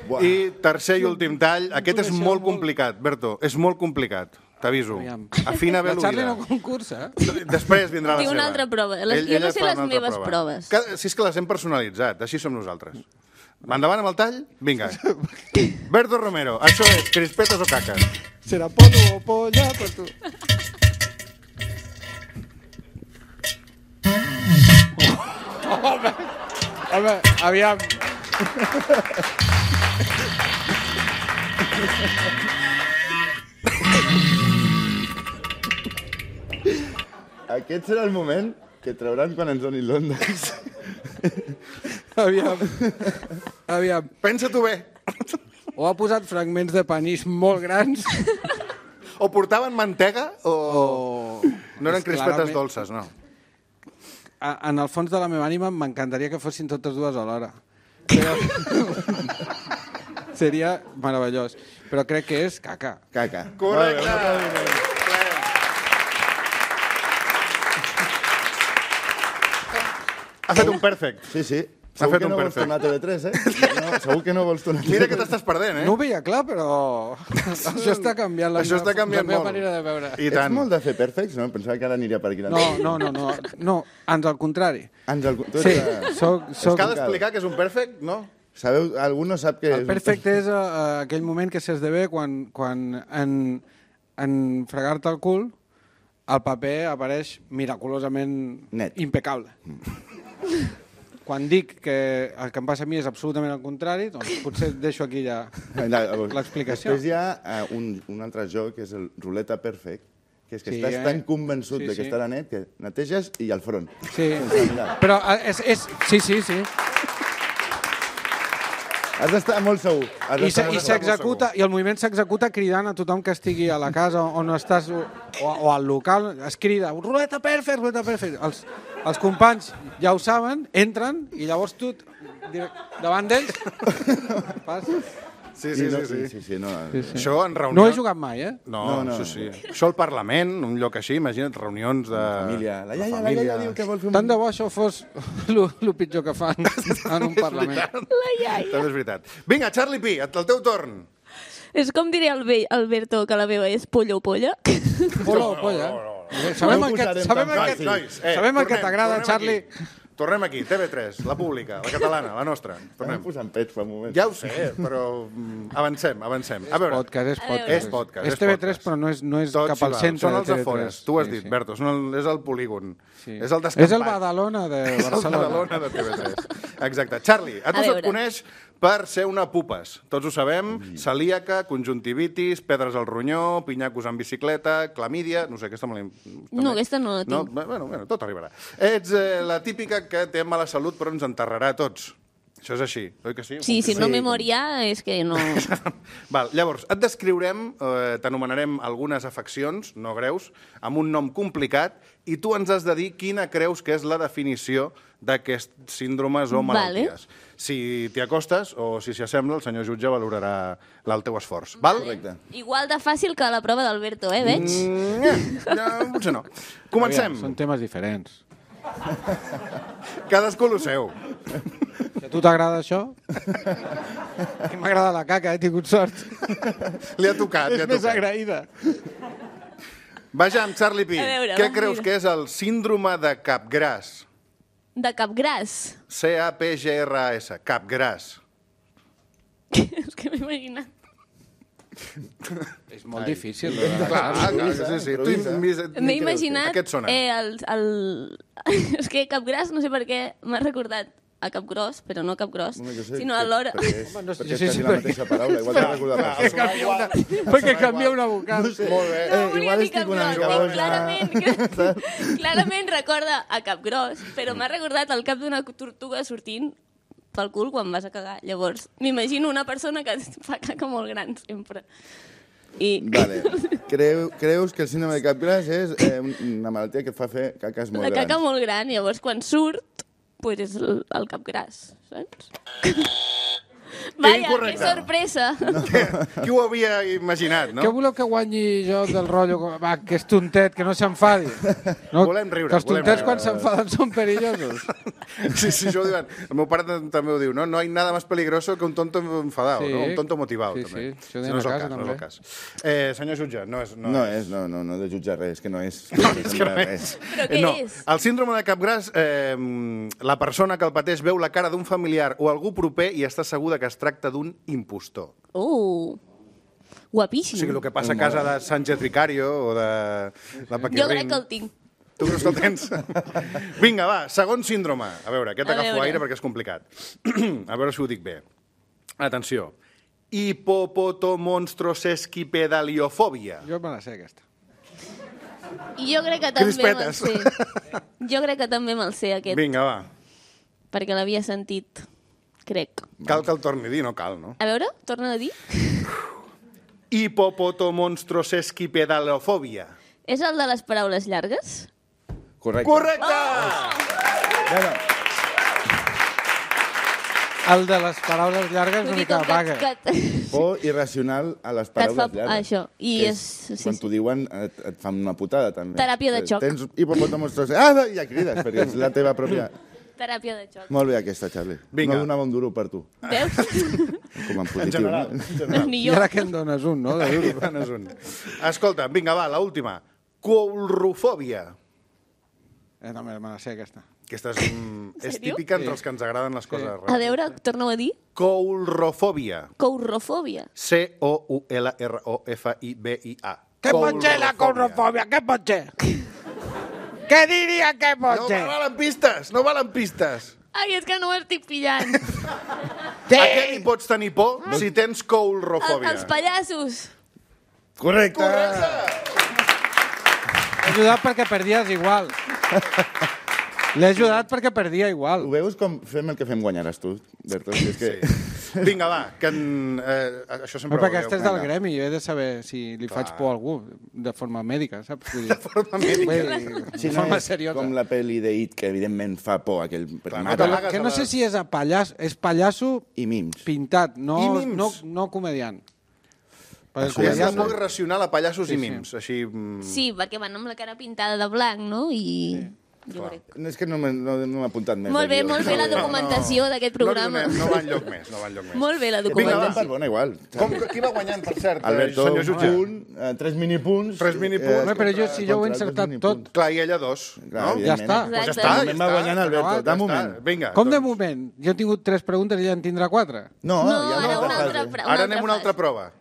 Buah. I tercer i últim tall. Aquest és coneixeu molt molt. complicat, Berto. És molt complicat. T'aviso. Aviam. Afina bé La Charlie l'oïda. no concursa, eh? Després vindrà la Tinc seva. una altra prova. Les- jo no sé fa les una altra meves proves. Cada, si és que les hem personalitzat, així som nosaltres. Endavant amb el tall? Vinga. Berto Romero, això és crispetes o caques? Serà pollo o polla per tu. Home, home, aviam. Aquest serà el moment que trauran quan ens donin l'Ondex. Aviam. Aviam. Pensa-t'ho bé. O ha posat fragments de panís molt grans O portaven mantega o... o... No eren És crispetes clarament- dolces, no. A, en el fons de la meva ànima m'encantaria que fossin totes dues alhora. Però... Seria meravellós. Però crec que és caca. Caca. Correcte! Ha fet un perfect. Sí, sí. S'ha Segur fet que un no vols perfect. tornar a T V tres, eh? No, segur que no vols tornar a T V tres. Mira que t'estàs perdent, eh? No ho veia clar, però això està canviant la, Això meva, està canviant la meva molt. manera de veure. I Ets tant. molt de fer perfects, no? Pensava que ara aniria per aquí. No, no, no, no, no, ans al contrari. Ens el... tu ets Sí, de- soc, Es soc... cal explicar que és un perfect, no? Sabeu, algú no sap que... El perfecte és uh, aquell moment que s'esdevé quan, quan en, en fregar-te el cul el paper apareix miraculosament Net. impecable. Quan dic que el que em passa a mi és absolutament el contrari, doncs potser deixo aquí ja l'explicació. Després hi ha uh, un, un altre joc, que és el ruleta perfect, que és que Sí, estàs eh? tan convençut Sí, de que sí. estarà net que neteges i al front. Sí, Sense mirar. però uh, és, és... Sí, sí, sí. Has d'estar molt segur. Has I, d'estar se- i molt segur. s'executa, i el moviment s'executa cridant a tothom que estigui a la casa on estàs o, o al local, es crida ruleta perfect, ruleta perfect. Els, els companys ja ho saben, entren i llavors tu direct, davant d'ells fas... Sí, I sí, no, sí. sí. sí, sí, no. Sí, sí. Això en reunió... No he jugat mai, eh? No, No, no, no. sí, sí. Això al Parlament, un lloc així, imagina't, reunions de... Família. La iaia, la família. iaia diu que vol fer un... Tant de bo això fos el pitjor que fan en un Parlament. La iaia. També és veritat. Vinga, Charlie P, el teu torn. És com diria el vell Alberto, que la meva és pollo o polla. Hola, polla. Sabem No el ho que, posarem sabem tan el Nois, que, nois, eh, sabem el que tornem, t'agrada, tornem Charlie. aquí. Tornem aquí, T V tres, la pública, la catalana, la nostra. Estem Tornem. posant pets fa un moment. Ja ho sé, però mm, avancem, avancem. A veure, Podcast, és A veure. podcast. És podcast, És és T V tres, podcast. però no és, no és tot cap s'hi al val. centre Són els de T V tres. afores, tu ho has Sí, dit, sí. Berto, són el, és el polígon. Sí. És el descampat. És el Badalona de És el Barcelona. Badalona de T V tres. Exacte. Charlie, a tu A se't veure. coneix per ser una pupes. Tots ho sabem, celíaca, conjuntivitis, pedres al ronyó, pinyacos en bicicleta, clamídia... No sé, aquesta me l'he... No, aquesta no la No, tinc. bueno, bueno, tot arribarà. Ets eh, la típica que té mala salut però ens enterrarà a tots. Això és així, oi que sí? Sí, si no Sí, me com- moria és que no... Val, llavors, et descriurem, eh, t'anomenarem algunes afeccions, no greus, amb un nom complicat, i tu ens has de dir quina creus que és la definició d'aquests síndromes o Vale. malalties. Si t'hi acostes o si s'hi assembla, el senyor jutge valorarà el teu esforç. Val? Correcte. Igual de fàcil que la prova d'Alberto, eh, veig? Mm, ja, ja, potser no. Comencem. Aviam, són temes diferents. Cadascú lo seu. Si a tu t'agrada això? A mi m'agrada la caca, he tingut sort. Li ha tocat, li És ha més tocat. agraïda. Vejam, Charlie P, A veure, què va, creus mira. que és el síndrome de capgràs? De capgràs. C A P G R A S, capgràs. És que m'he imaginat. És molt difícil. Clar, clar, sí, sí. Tu Improvisa. im- M'he imaginat... Aquest sona. Eh, el, el... És que capgràs, no sé per què, m'ha recordat a capgròs, però no capgròs, Home, jo sé sinó que- alhora... Perquè és, Home, no sé- perquè jo és sé quasi si la perquè- mateixa paraula, igual t'ha recordat per Que canvia una, perquè canvia una vocal. Molt bé. No Eh, volia igual dir estic una capgròs, mica eh, boja. clarament, clarament recorda a capgròs, però m'ha recordat el cap d'una tortuga sortint pel cul quan vas a cagar. Llavors, m'imagino una persona que fa caca molt gran, sempre. I... Vale. Creu, creus que el síndrome de capgràs és eh, una malaltia que et fa fer caques molt La caca grans? molt gran, llavors quan surt, pues és el, el capgràs, saps? Vaya, que Incorrecte. sorpresa! Qui ho havia imaginat, no? Què voleu que guanyi jo del rotllo? Va, que és tontet, que no s'enfadi. No? Volem riure, Que els volem tontets riure. quan s'enfaden són perillosos. Sí, sí, això ho diuen. El meu pare també ho diu, no? No hay nada más peligroso que un tonto enfadado, Sí. no? Un tonto motivado, Sí, també. sí, això ho Si deien no és a el casa, cas, no és el també. cas. Eh, senyor jutge, no és... No, No és, no, no, no de jutjar res, que no és. No, és que no és. Però què no. és? El síndrome de capgràs, eh, la persona que el pateix veu la cara d'un familiar o algú proper i està segura que es tracta d'un impostor. Uh, guapíssim. O sigui, el que passa a casa de Sánchez Vicario o de la Paquirrin... Jo crec que el tinc. Tu creus que el tens? Vinga, va, segon síndrome. A veure, aquest A agafo veure. aire perquè és complicat. A veure si ho dic bé. Atenció. Hipopotomonstrosesquipedaliofòbia. Jo me la sé, aquesta. I jo crec que també me'l Crispetes. sé. Jo crec que també me'l sé, aquest, Vinga, va. perquè l'havia sentit, crec. Cal que el torni a dir, no cal, no? A veure, torna a dir. Hipopotomonstrosesquipedaliofòbia. És el de les paraules llargues? Correcte. Correcte! Bueno, El de les paraules llargues una Vull dir, mica com que- vaga. que- por irracional a les Que et paraules fa- llargues. això, i Que és- sí, Quan sí. t'ho diuen et, et fan una putada, també. Teràpia de xoc. Tens hipopòtamos... Ah, ja crides, perquè és la teva pròpia... Teràpia de xoc. Molt bé aquesta, Charlie. Vinga. No donava un duro per tu, Veus? com en positiu. general, no? en general. Ni I jo. ara que en dones un, no? De duro. Quan és un. Escolta, vinga, va, l'última. Coulrofòbia. Eh, no, me la sé, aquesta. Aquesta és, mm, és Sèrio? típica entre els que ens agraden les coses A rares. veure, torna-ho a dir. Coulrofòbia. Courrofòbia. C O U L R O F I B I A. Què pot ser la courrofòbia? Què pot ser? Què diria que pot No ser? valen pistes, no valen pistes. Ai, és que no ho estic pillant. A què li pots tenir por si tens El, coulrofòbia? els pallassos. Correcte! L'he ajudat perquè perdies igual. L'he ajudat perquè perdia igual. Ho veus com fem el que fem guanyaràs tu, Berto? Si és que... Sí. Vinga, va, que en, eh, això sempre Però ho perquè veieu. estàs del gremi, jo he de saber si li faig por a algú, de forma mèdica, saps? Vull dir, De forma mèdica. vull dir, Si de no forma és seriosa. com la pel·li de It, que evidentment fa por aquell Clar, primat. no Però t'amagues que a no la- sé si és a pallasso, és pallasso I mims. pintat, no, I mims. no, no comediant. Perquè el És la comediant por no... irracional a pallassos Sí, i sí. mims. Així... mm, Sí, perquè van amb la cara pintada de blanc, no? I... Jo crec. No, és que no m'he no, no m'he apuntat més. Molt bé, aquí. molt bé la documentació d'aquest programa. No, li donem, no va enlloc més, no va enlloc més. Molt bé la Vinga, va, documentació. per bona, igual. Com, qui va guanyant, per cert, Alberto, eh, senyor un jutge? punt, eh, tres minipunts. Tres minipunts. Home, però jo, si jo ho he contra encertat dos tot. minipunts. Clar, i ella dos. Clar, no? evidentment. Ja està. Pues ja Exacte. està, De ja moment va està. guanyant Alberto, Ja de està. moment. Vinga. Com de doncs- moment? Jo he tingut tres preguntes i ja en tindrà quatre. No, No, ja ara no una fase. altra, pre- una Ara altra anem a una altra fase. prova.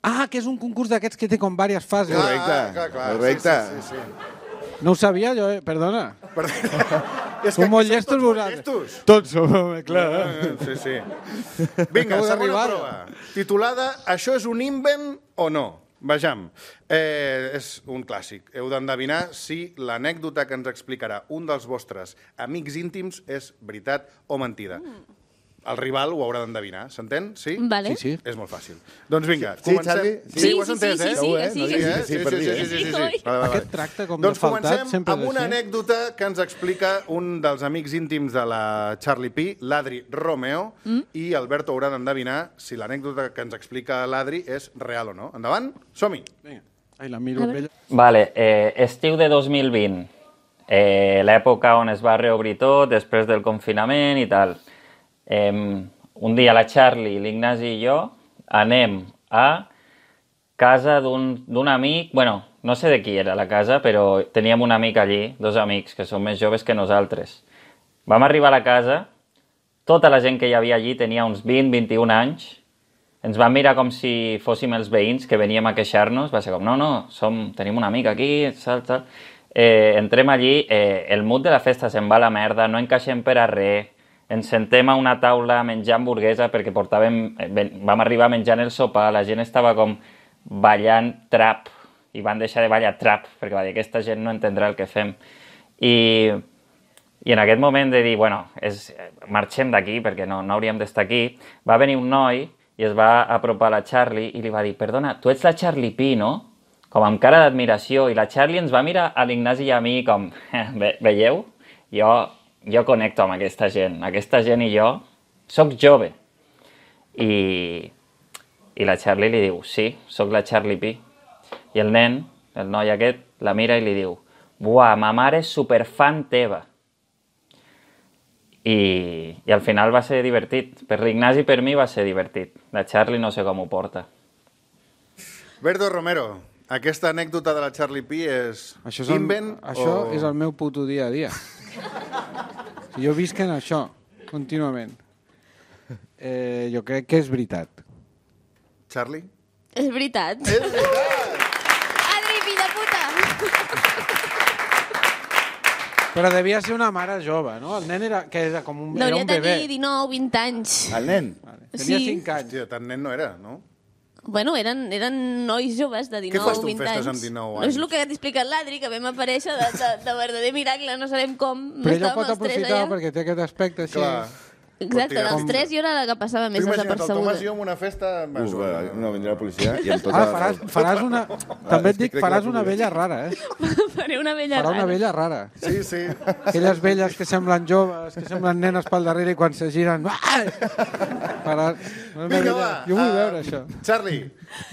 Ah, que és un concurs d'aquests que té com diverses fases. Correcte, Ah, clar, clar, correcte. Sí, sí, sí. No ho sabia jo, eh? Perdona. Per... És Som molt aquí llestos tots molt vosaltres. llestos. Tots som, home, clar. Ah, Sí, sí. Vinga, Acabo segona d'arribar. prova. Titulada Això és un invent o no? Vejam. Eh, és un clàssic. Heu d'endevinar si l'anècdota que ens explicarà un dels vostres amics íntims és veritat o mentida. El rival ho haurà d'endevinar, s'entén? Sí? Vale. Sí, sí. És molt fàcil. Doncs vinga, Sí, comencem. Charlie? Sí, Sí, ho has sí, entès, sí, eh? sí, Segur, eh? sí, No sí. diguis Eh? que sí per dir, eh? sí, sí, sí, sí. Oi? Vale, vale. Aquest tracte com Doncs de faltat comencem sempre amb és una així. anècdota que ens explica un dels amics íntims de la Charlie P, l'Adri Romeo, mm? i Alberto haurà d'endevinar si l'anècdota que ens explica l'Adri és real o no. Endavant, som-hi. Vinga. Ai, la miro A amb veure. ella. Vale, eh, estiu de dos mil vint, eh, l'època on es va reobrir tot després del confinament i tal. Eh, un dia la Charlie, l'Ignasi i jo anem a casa d'un d'un amic, bueno, no sé de qui era la casa, però teníem un amic allí, dos amics, que són més joves que nosaltres. Vam arribar a la casa, tota la gent que hi havia allí tenia uns vint, vint-i-un anys, ens van mirar com si fóssim els veïns que veníem a queixar-nos, va ser com, no, no, som, tenim un amic aquí, tal, tal. Eh, entrem allí, eh, el mood de la festa se'n va a la merda, no encaixem per a res, ens sentem a una taula a menjar hamburguesa perquè portàvem, eh, ven- vam arribar menjant el sopar, la gent estava com ballant trap, i van deixar de ballar trap, perquè va dir, aquesta gent no entendrà el que fem. I, i en aquest moment de dir, bueno, és, marxem d'aquí perquè no, no hauríem d'estar aquí, va venir un noi i es va apropar a la Charlie i li va dir, perdona, tu ets la Charlie P, no? Com amb cara d'admiració, i la Charlie ens va mirar a l'Ignasi i a mi com, Ve, veieu? Jo, jo connecto amb aquesta gent, aquesta gent i jo sóc jove. I, i la Charlie li diu, sí, sóc la Charlie P. I el nen, el noi aquest, la mira i li diu, buah, ma mare és superfan teva. I, i al final va ser divertit. Per l'Ignasi i per mi va ser divertit. La Charlie no sé com ho porta. Berto Romero, aquesta anècdota de la Charlie P és Això, és el, invent això o... és el meu puto dia a dia. Jo visc en això, contínuament. Eh, jo crec que és veritat. Charlie? És veritat. És veritat! Adri, fill de puta! Però devia ser una mare jove, no? El nen era, que era com un, era Hauria un de bebè. tenir dinou, vint anys. El nen? Vale. Tenia Sí. cinc anys. Hòstia, tan nen no era, no? Bueno, eren, eren nois joves de dinou, fas tu en vint festes anys. amb dinou No és anys? el que t'ha explicat l'Adri, que vam aparèixer de, de, de verdader miracle, no sabem com. Però ella estàvem pot els tres aprofitar allà. perquè té aquest aspecte així. Clar. Exacte, dels tres jo era la que passava més Tu imagina't el desapercebuda. Tomàs i jo en una festa... Uf, no, vindrà la policia i amb tota... Ah, faràs, faràs una... També et és que dic, crec que faràs la una puc- vella rara, eh? Faré una vella Farà una rara. vella rara. Sí, sí. Aquelles velles que semblen joves, que semblen nenes pel darrere i quan se giren... Ai! Faràs una Vinga, vella... va. Jo vull uh, veure això. Charlie,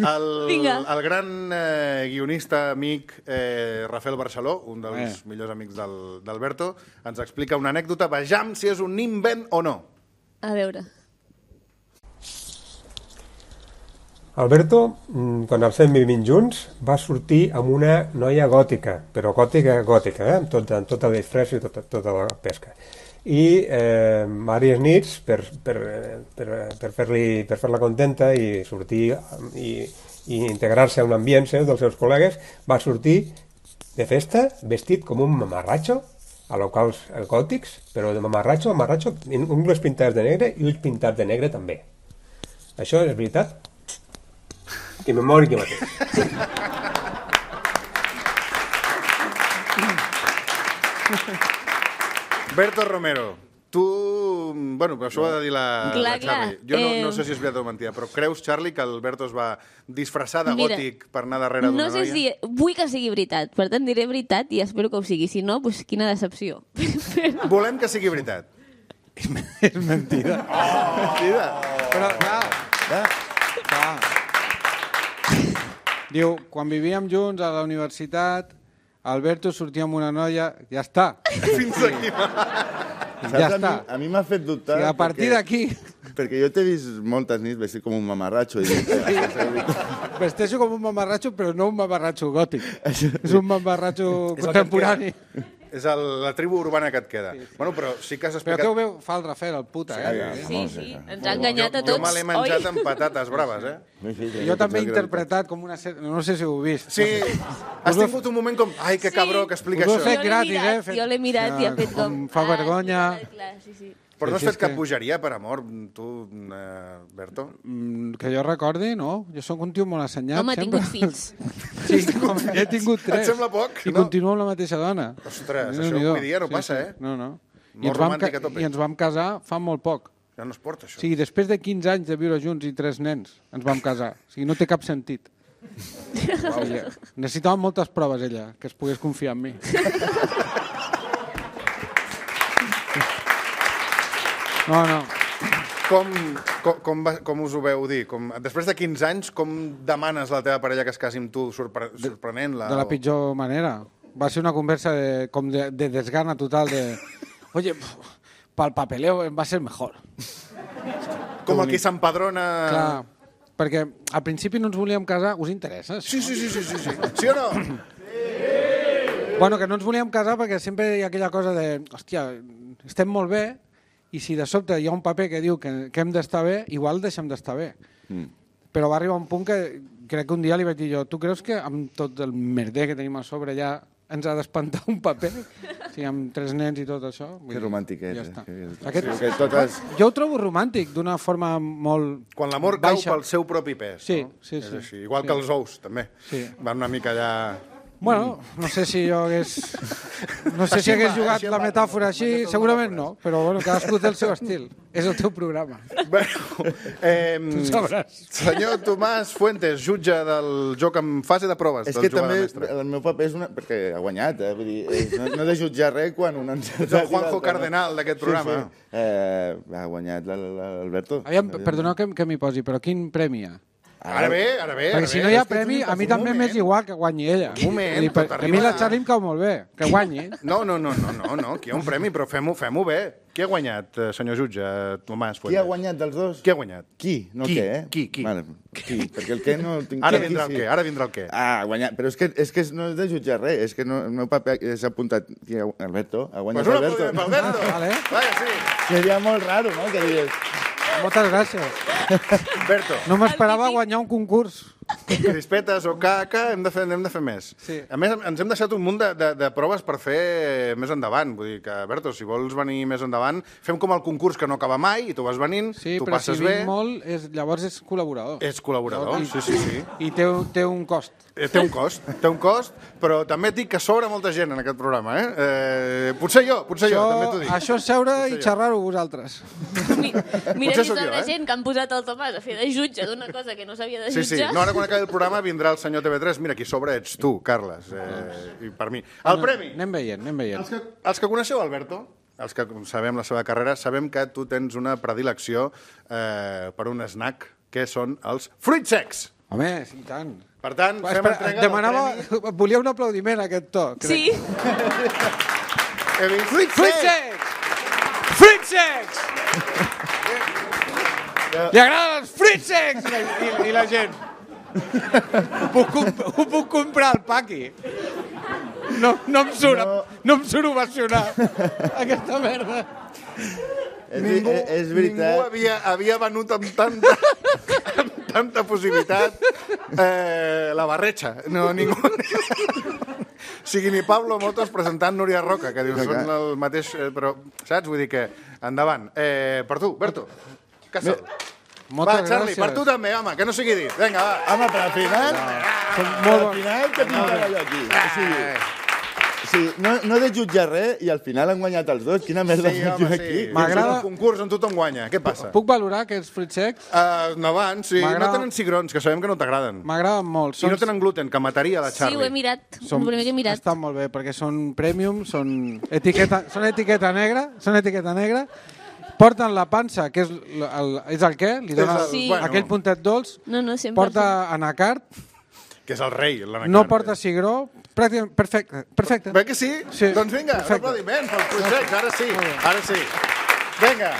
el, Vinga. el gran eh, guionista amic eh, Rafael Barceló, un dels Eh. millors amics del- d'Alberto, ens explica una anècdota. Vejam si és un invent o no. A veure. Alberto, mm, quan els fem vivint junts, va sortir amb una noia gòtica, però gòtica, gòtica, eh? amb, tot, amb tota la disfressa i tota, tota la pesca. I eh, diverses nits, per, per, per, per fer-li per fer-la contenta i sortir i, i integrar-se a un ambient seu, dels seus col·legues, va sortir de festa vestit com un mamarratxo, a locals gòtics, però de mamarratxo, mamarratxo, ungles pintades de negre i ulls pintats de negre també. Això és veritat? Que me mori jo mateix. Berto Romero, tu... Bueno, però això ho ha de dir la, Clar, la Charlie. clar. Jo no, Eh, no sé si és veritat o mentida, però creus, Charlie, que Alberto es va disfressar de Mira, gòtic per anar darrere d'una No sé noia? si... Vull que sigui veritat, per tant diré veritat i espero que ho sigui. Si no, doncs quina decepció. Però... Volem que sigui veritat. És mentida. Mentida. Però, clar, Ah, clar. Diu, quan vivíem junts a la universitat, Alberto sortia amb una noia, ja està. Fins aquí. saps? Ja a està. mi, a mi m'ha fet dubtar... I a partir perquè- d'aquí Perquè jo t'he vist moltes nits vestit com un mamarratxo. I dic, eh, vesteixo com un mamarratxo, però no un mamarratxo gòtic. És un mamarratxo És el que et contemporani. És el, la tribu urbana que et queda. Sí, sí. Bueno, però sí que has Però explicat... què ho veu? Fa el Rafael, el puta, eh? ja, Sí, vamos, sí, ja. ens ha enganyat a Jo tots. me l'he menjat oi? amb patates braves, eh? Sí, sí, Jo també he tots interpretat com una... ser- No sé si ho heu vist. Sí, has tingut un moment com... Ai, que Sí. cabró que explica Us ho he això. fet Jo l'he gratis, mirat, eh? Fet- Jo l'he mirat i ha fet Ah, com... em fa Ah, vergonya. sí, clar, sí, sí. Però no Sí, has sí, fet és cap que- bogeria per amor, tu, eh, Berto? Mm, Que jo recordi, no. Jo sóc un tio molt assenyat, Home, ha sempre. tingut fills. Sí, home, he tingut tres. Et sembla poc, I no? continuo amb la mateixa dona. Ostres, Déu això n'hi do. avui dia no passa, eh? No, no. Molt I ens, vam romàntic a tope. I ens vam casar fa molt poc. Ja no es porta, això. O sigui, després de quinze anys de viure junts i tres nens, ens vam casar. O sigui, no té cap sentit. Wow. Ella. Necessitava moltes proves, ella, que es pogués confiar en mi. No, no. Com, com, com, va, com us ho veu dir? Com, després de quinze anys, com demanes a la teva parella que es casi amb tu, sorpre, sorprenent-la? De la o- pitjor manera. Va ser una conversa de, com de, de desgana total de... Oye, pel papeleo va ser mejor. Com el que s'empadrona... Clar, perquè al principi no ens volíem casar. Us interessa? això? Sí, sí, sí, sí, sí, sí. Sí o no? Bueno, que no ens volíem casar perquè sempre hi ha aquella cosa de... Hòstia, estem molt bé i si de sobte hi ha un paper que diu que, que hem d'estar bé, igual deixem d'estar bé. Mm. Però va arribar un punt que crec que un dia li vaig dir jo, tu creus que amb tot el merder que tenim a sobre ja ens ha d'espantar un paper? O sigui, amb tres nens i tot això. Vull Que dir, romàntic és. Ja eh? està. Que, Aquest... que totes... Jo ho trobo romàntic, d'una forma molt Quan l'amor cau baixa. pel seu propi pes, Sí, no? sí, És sí. així. Igual Sí. que els ous, també. Sí. Van una mica allà... Bueno, no sé si jo hagués... No sé Així si hagués va, jugat així la va. metàfora així, segurament no, però bueno, cadascú té el seu estil. És el teu programa. Bueno, eh, Tu sabràs. senyor Tomàs Fuentes, jutge del joc en fase de proves És del que també jugador mestre. el meu paper és una... perquè ha guanyat, eh? Vull dir, és, no, no he de jutjar res quan un encertat... Ets el Juanjo Cardenal d'aquest programa. Sí, sí. Eh, ha guanyat la- la- l'Alberto. Aviam, perdoneu que, que m'hi posi, però quin premi hi ha? Ara bé, ara bé. Perquè ara si bé. no hi ha És que premi, tu- a mi un també moment. m'és igual que guanyi ella. Un moment, Vull dir, per- tot a arriba- mi la Charlie em cau molt bé, que guanyi. No, no, no, no, no, no, aquí hi ha un premi, però fem-ho fem bé. Qui ha guanyat, eh, senyor jutge, eh, Tomàs Fuentes? Qui ha guanyat dels dos? Qui ha guanyat? Qui? No Qui? què, eh? Qui? Qui? Vale, qui? Perquè el què no el tinc... Ara Qui, vindrà el sí. què, ara vindrà el què. Ah, ha guanyat. Però és que, és que no és de jutjar res. És que no, el meu paper és apuntat... Qui ha... Alberto? Ha guanyat Pues un Alberto? aplaudiment per Alberto. Ah, vale. Vaja, sí. Seria molt raro, no?, que digués... Moltes gràcies. Berto. No m'esperava El típic- guanyar un concurs. crispetes o caca, hem de fer, hem de fer més. Sí. A més, ens hem deixat un munt de, de, de proves per fer més endavant. Vull dir que, Berto, si vols venir més endavant, fem com el concurs que no acaba mai i tu vas venint, Sí, tu però si passes vinc bé. molt, és, llavors és col·laborador. És col·laborador, I- sí, sí, sí. I té, un- té un cost. Eh, Té un cost, té un cost, però també et dic que sobra molta gent en aquest programa, eh? eh potser jo, potser jo, també t'ho dic. Això és seure i jo. xerrar-ho vosaltres. Mi- Mira Potser si sóc jo, sobre eh? gent que han posat el Tomàs a fer de jutge d'una cosa que no s'havia de Sí, sí. jutjar. No, ara quan acabi el programa vindrà el senyor T V tres. Mira, aquí sobre ets tu, Carles, eh, i per mi. El premi. Anem veient, anem veient. Els que, els que coneixeu Alberto, els que sabem la seva carrera, sabem que tu tens una predilecció eh, per un snack, que són els fruits secs. Home, sí, i tant. Per tant, fem Espera, entrega demanava... del premi. Volia un aplaudiment a aquest to. crec. Sí, He vist. Fruits secs! Fruits secs! Li agraden els fruits secs! I, la- i, i la gent. Ho puc, comp- ho puc comprar al Paqui. No, no em surt, no. no em surt ovacionar aquesta merda. És, Ningú, és, és ningú veritat. havia, havia venut amb tanta, amb tanta possibilitat eh, la barretxa. No, ningú... O sigui, ni Pablo Motos presentant Núria Roca, que dius, són el mateix... Eh, però, saps? Vull dir que, endavant. Eh, per tu, Berto, Casal. Moltes Va, Charlie, gràcies. per tu també, home, que no sigui dit. Vinga, va. Home, però al final... Són Al molt bons. final, què pintava jo aquí? O sigui, sí, no, no he de jutjar res i al final han guanyat els dos. Quina merda Sí, faig home, jo sí. aquí? M'agrada- És un concurs on tothom guanya. Què passa? Puc valorar aquests fruits secs? Uh, endavant, sí. No M'agrada- tenen cigrons, que sabem que no t'agraden. M'agraden molt. I no tenen gluten, que mataria la sí, Charlie. ho he mirat. Són... El primer que he mirat. Estan molt bé, perquè són premium, són etiqueta, són etiqueta negra, són etiqueta negra, porten la pansa, que és el, el, és el què? Li dona És el- Sí. bueno, aquell puntet dolç, No, no, sempre. porta anacart, Que és el rei, l'anacard. no porta cigró, pràcticament, perfecte, perfecte. Bé que sí? Sí. Doncs vinga, un Perfecte. aplaudiment pels projectes, ara sí, ara sí. Vinga.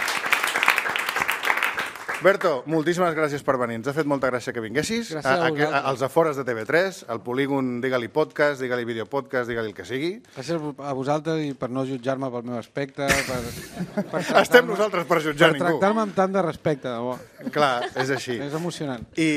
Berto, moltíssimes gràcies per venir. Ens ha fet molta gràcia que vinguessis. Gràcies a vosaltres. a, als afores de T V tres, al polígon, digue-li podcast, digue-li videopodcast, digue-li el que sigui. Gràcies a vosaltres i per no jutjar-me pel meu aspecte, per, per Estem nosaltres per jutjar per ningú. tractar-me amb tant de respecte, de bo. Clar, és així. És emocionant. I,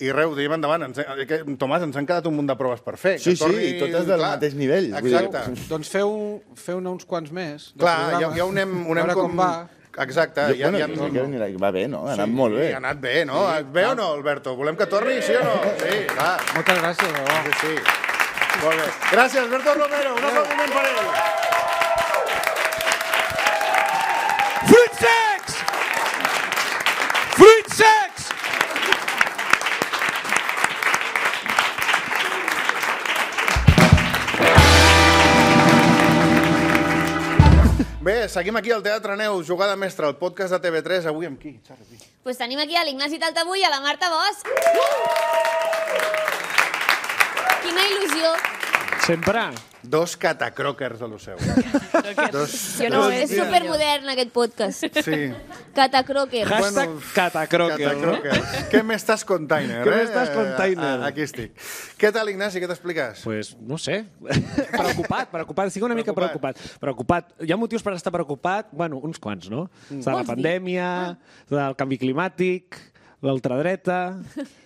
i res, ho diem endavant. Ens, eh, que, Tomàs, ens han quedat un munt de proves per fer. Sí, Que torni- sí, totes del mateix nivell. Vull dir- Exacte. Doncs feu, feu-ne uns quants més. de Clar, ja, programa. ja ho anem, ho A anem veure com... com va. Exacte. Jo, ja, bueno, ja, ni siquiera ni la... Va bé, no? Ha anat molt bé. Sí, ha anat bé, no? Sí, bé o no, Alberto? Volem que torni, sí o no? Sí, clar. Moltes gràcies, de bo. Sí, sí. Molt bé. Gràcies, Alberto Romero. Un aplaudiment per ell. Fruits secs! Fruits secs! Bé, seguim aquí al Teatre Neus, Jugada Mestra, el podcast de T V tres. Avui amb qui? Charlie? Pues tenim aquí a l'Ignasi Taltabull i a la Marta Bosch. Quina il·lusió. Sempre. Dos catacròquers a lo seu. Dos... Jo no, és supermodern aquest podcast. Sí. Catacroker. Hashtag Bueno, catacroker, no? Catacròquers. Què m'estàs container, Què eh? m'estàs container? Ah, Aquí estic. Què tal, Ignasi? Què t'expliques? Pues no sé. preocupat, preocupat. Estic una mica Preocupat. preocupat. Preocupat. Hi ha motius per estar preocupat? Bueno, uns quants, no? Mm. De la Vols dir? pandèmia, del canvi climàtic, l'ultradreta...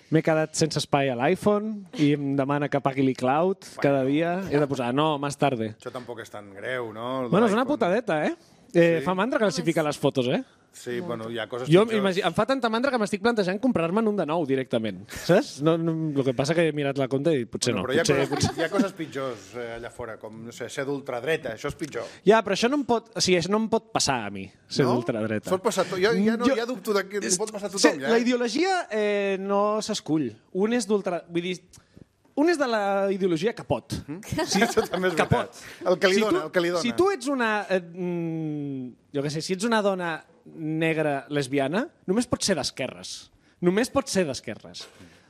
M'he quedat sense espai a l'iPhone i em demana que pagui l'iCloud cada dia. He de posar, no, més tarde. Això tampoc és tan greu, no? El de Bueno, és una l'iPhone. putadeta, eh? eh Fa mandra classificar les fotos, eh? Sí, bueno, hi ha coses Jo pitjors. imagi- em fa tanta mandra que m'estic plantejant comprar-me'n un de nou directament, saps? No, no, el que passa que he mirat la compte i potser Bueno, no. però hi ha, Potser, coses, hi ha coses pitjors eh, allà fora, com, no sé, ser d'ultradreta, això és pitjor. Ja, però això no em pot, o sigui, això no em pot passar a mi, ser No? d'ultradreta. Pot passar, to- jo ja, no, Jo- ja dubto de que És- pot passar a sí, tothom, ja. La ideologia eh, no s'escull. Un és d'ultra... Vull dir, un és de la ideologia que pot. Sí, això també és Que veritat. pot. El que li Si dona, tu- el que li dona. Si tu ets una... Eh, mm, jo què sé, si ets una dona negra lesbiana, només pots ser d'esquerres. Només pots ser d'esquerres.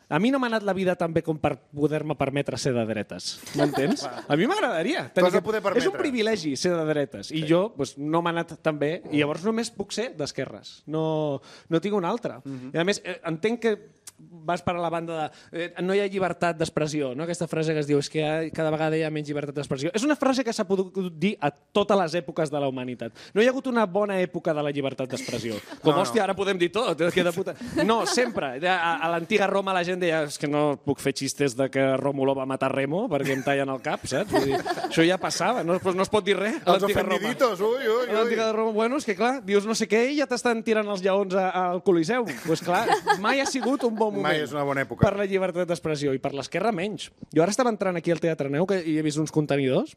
A mi no m'ha anat la vida tan bé com per poder-me permetre ser de dretes. M'entens? A mi m'agradaria. T'ho has de poder permetre. És un privilegi ser de dretes. I jo pues, no m'ha anat tan bé i llavors només puc ser d'esquerres. No, no tinc una altra. Mhm. I a més, eh, entenc que vas per a la banda de eh, no hi ha llibertat d'expressió, no? Aquesta frase que es diu és que ha, cada vegada hi ha menys llibertat d'expressió. És una frase que s'ha pogut dir a totes les èpoques de la humanitat. No hi ha hagut una bona època de la llibertat d'expressió. Com, no, hòstia, no. Ara podem dir tot. Que de puta... No, sempre. A, a l'antiga Roma la gent deia és que no puc fer xistes de que Rómulo va matar Remo perquè em tallen el cap, saps? Vull dir, això ja passava, no, no es pot dir res. Els ofendiditos, ui, ui, ui. A l'antiga Roma, bueno, és que clar, dius no sé què i ja t'estan tirant els lleons al Coliseu. Doncs pues clar, mai ha sigut un bon moment. Mai és una bona època. Per la llibertat d'expressió i per l'esquerra menys. Jo ara estava entrant aquí al Teatre Neu que hi he vist uns contenidors,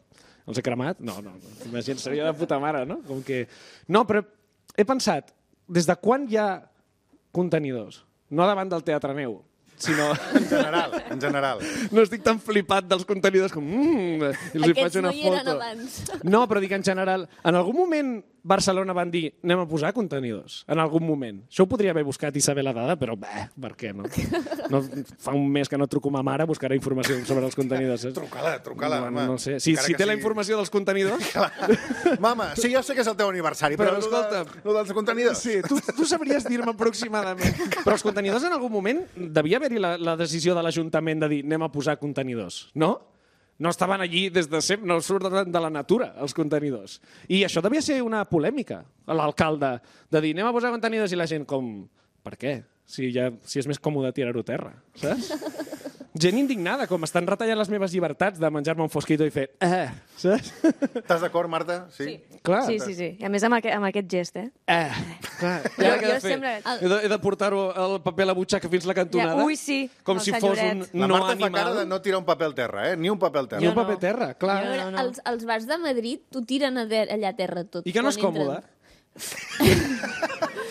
els he cremat, no, no, imagina, seria de puta mare, no? Com que... No, però he pensat, des de quan hi ha contenidors? No davant del Teatre Neu, sinó... En general, en general. No estic tan flipat dels contenidors com... Mm, i els hi faig una no hi eren foto. abans. No, però dic en general, en algun moment Barcelona van dir anem a posar contenidors, en algun moment. Això ho podria haver buscat i saber la dada, però bé, per què no? no fa un mes que no truco a ma mare, buscarà informació sobre els contenidors. Saps? Truca-la, truca-la, no, home. No sé. Si, si té la informació dels contenidors... Mama, sí, ja sé que és el teu aniversari, però, però escolta, lo dels contenidors... Sí, tu, tu sabries dir-me aproximadament. Però els contenidors en algun moment devia haver-hi la, la decisió de l'Ajuntament de dir anem a posar contenidors, no? No estaven allí des de sempre, no surten de la natura, els contenidors. I això devia ser una polèmica, l'alcalde, de dir anem a posar contenidors i la gent com, per què? Si, ja, si és més còmode tirar-ho a terra, saps? Gent indignada, com estan retallant les meves llibertats de menjar-me un fosquito i fer eh, saps? Estàs d'acord, Marta? Sí. Sí. Clar. Sí, sí, sí. I a més amb, aqu amb aquest gest, eh? Eh, clar. Jo- Ja què he de jo fer? sempre- He de, he de portar-ho el paper a la butxaca fins la cantonada? Ja, ui, sí, Com el si fos un senyoret. La no Marta fa animal. cara de no tirar un paper al terra, eh? Ni un paper al Ni terra. un paper a terra, clar. A veure, no, no. Els, els bars de Madrid t'ho tiren a de, allà a terra tot. I que no és quan còmode? entren.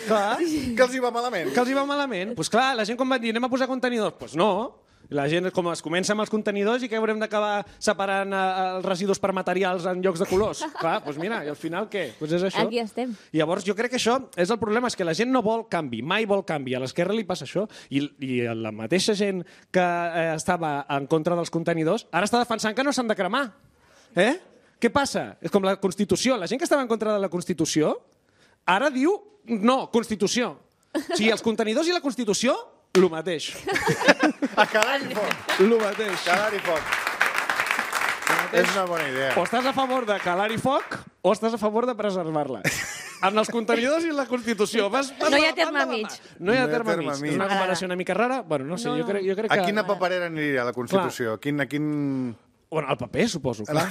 Clar. Que els hi va malament. Que els hi va malament. Doncs pues clar, la gent com va dir, anem a posar contenidors? Doncs pues no. I la gent com es comença amb els contenidors i que haurem d'acabar separant eh, els residus per materials en llocs de colors. Clar, doncs mira, i al final què? Doncs és això. Aquí estem. I llavors jo crec que això és el problema, és que la gent no vol canvi, mai vol canvi. A l'esquerra li passa això. I, i la mateixa gent que eh, estava en contra dels contenidors ara està defensant que no s'han de cremar. Eh? Què passa? És com la Constitució. La gent que estava en contra de la Constitució ara diu no, Constitució. O sigui, els contenidors i la Constitució, el mateix. A calar-hi foc. El mateix. Calar-hi foc. És una bona idea. O estàs a favor de calar-hi foc o estàs a favor de preservar-la. En els contenidors i la Constitució. Vas, vas No hi ha a la terme banda de mig. mà. No hi ha No hi ha terme terme mig. mig. És una comparació una mica rara. Bueno, no sé, No, jo crec, jo crec A que... quina paperera aniria la Constitució? Quin, a quin... Bueno, el paper, suposo, clar.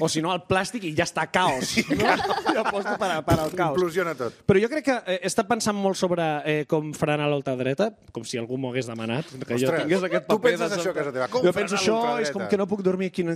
O si no, el plàstic i ja està caos. No? Jo aposto per, a- per al caos. Implosiona tot. Però jo crec que eh, he estat pensant molt sobre eh, com frenar l'ultradreta, com si algú m'ho hagués demanat, que jo Ostres, tingués aquest tu paper. penses de això a casa teva, com jo frenar penso això, l'ultradreta? és com que no puc dormir, quin,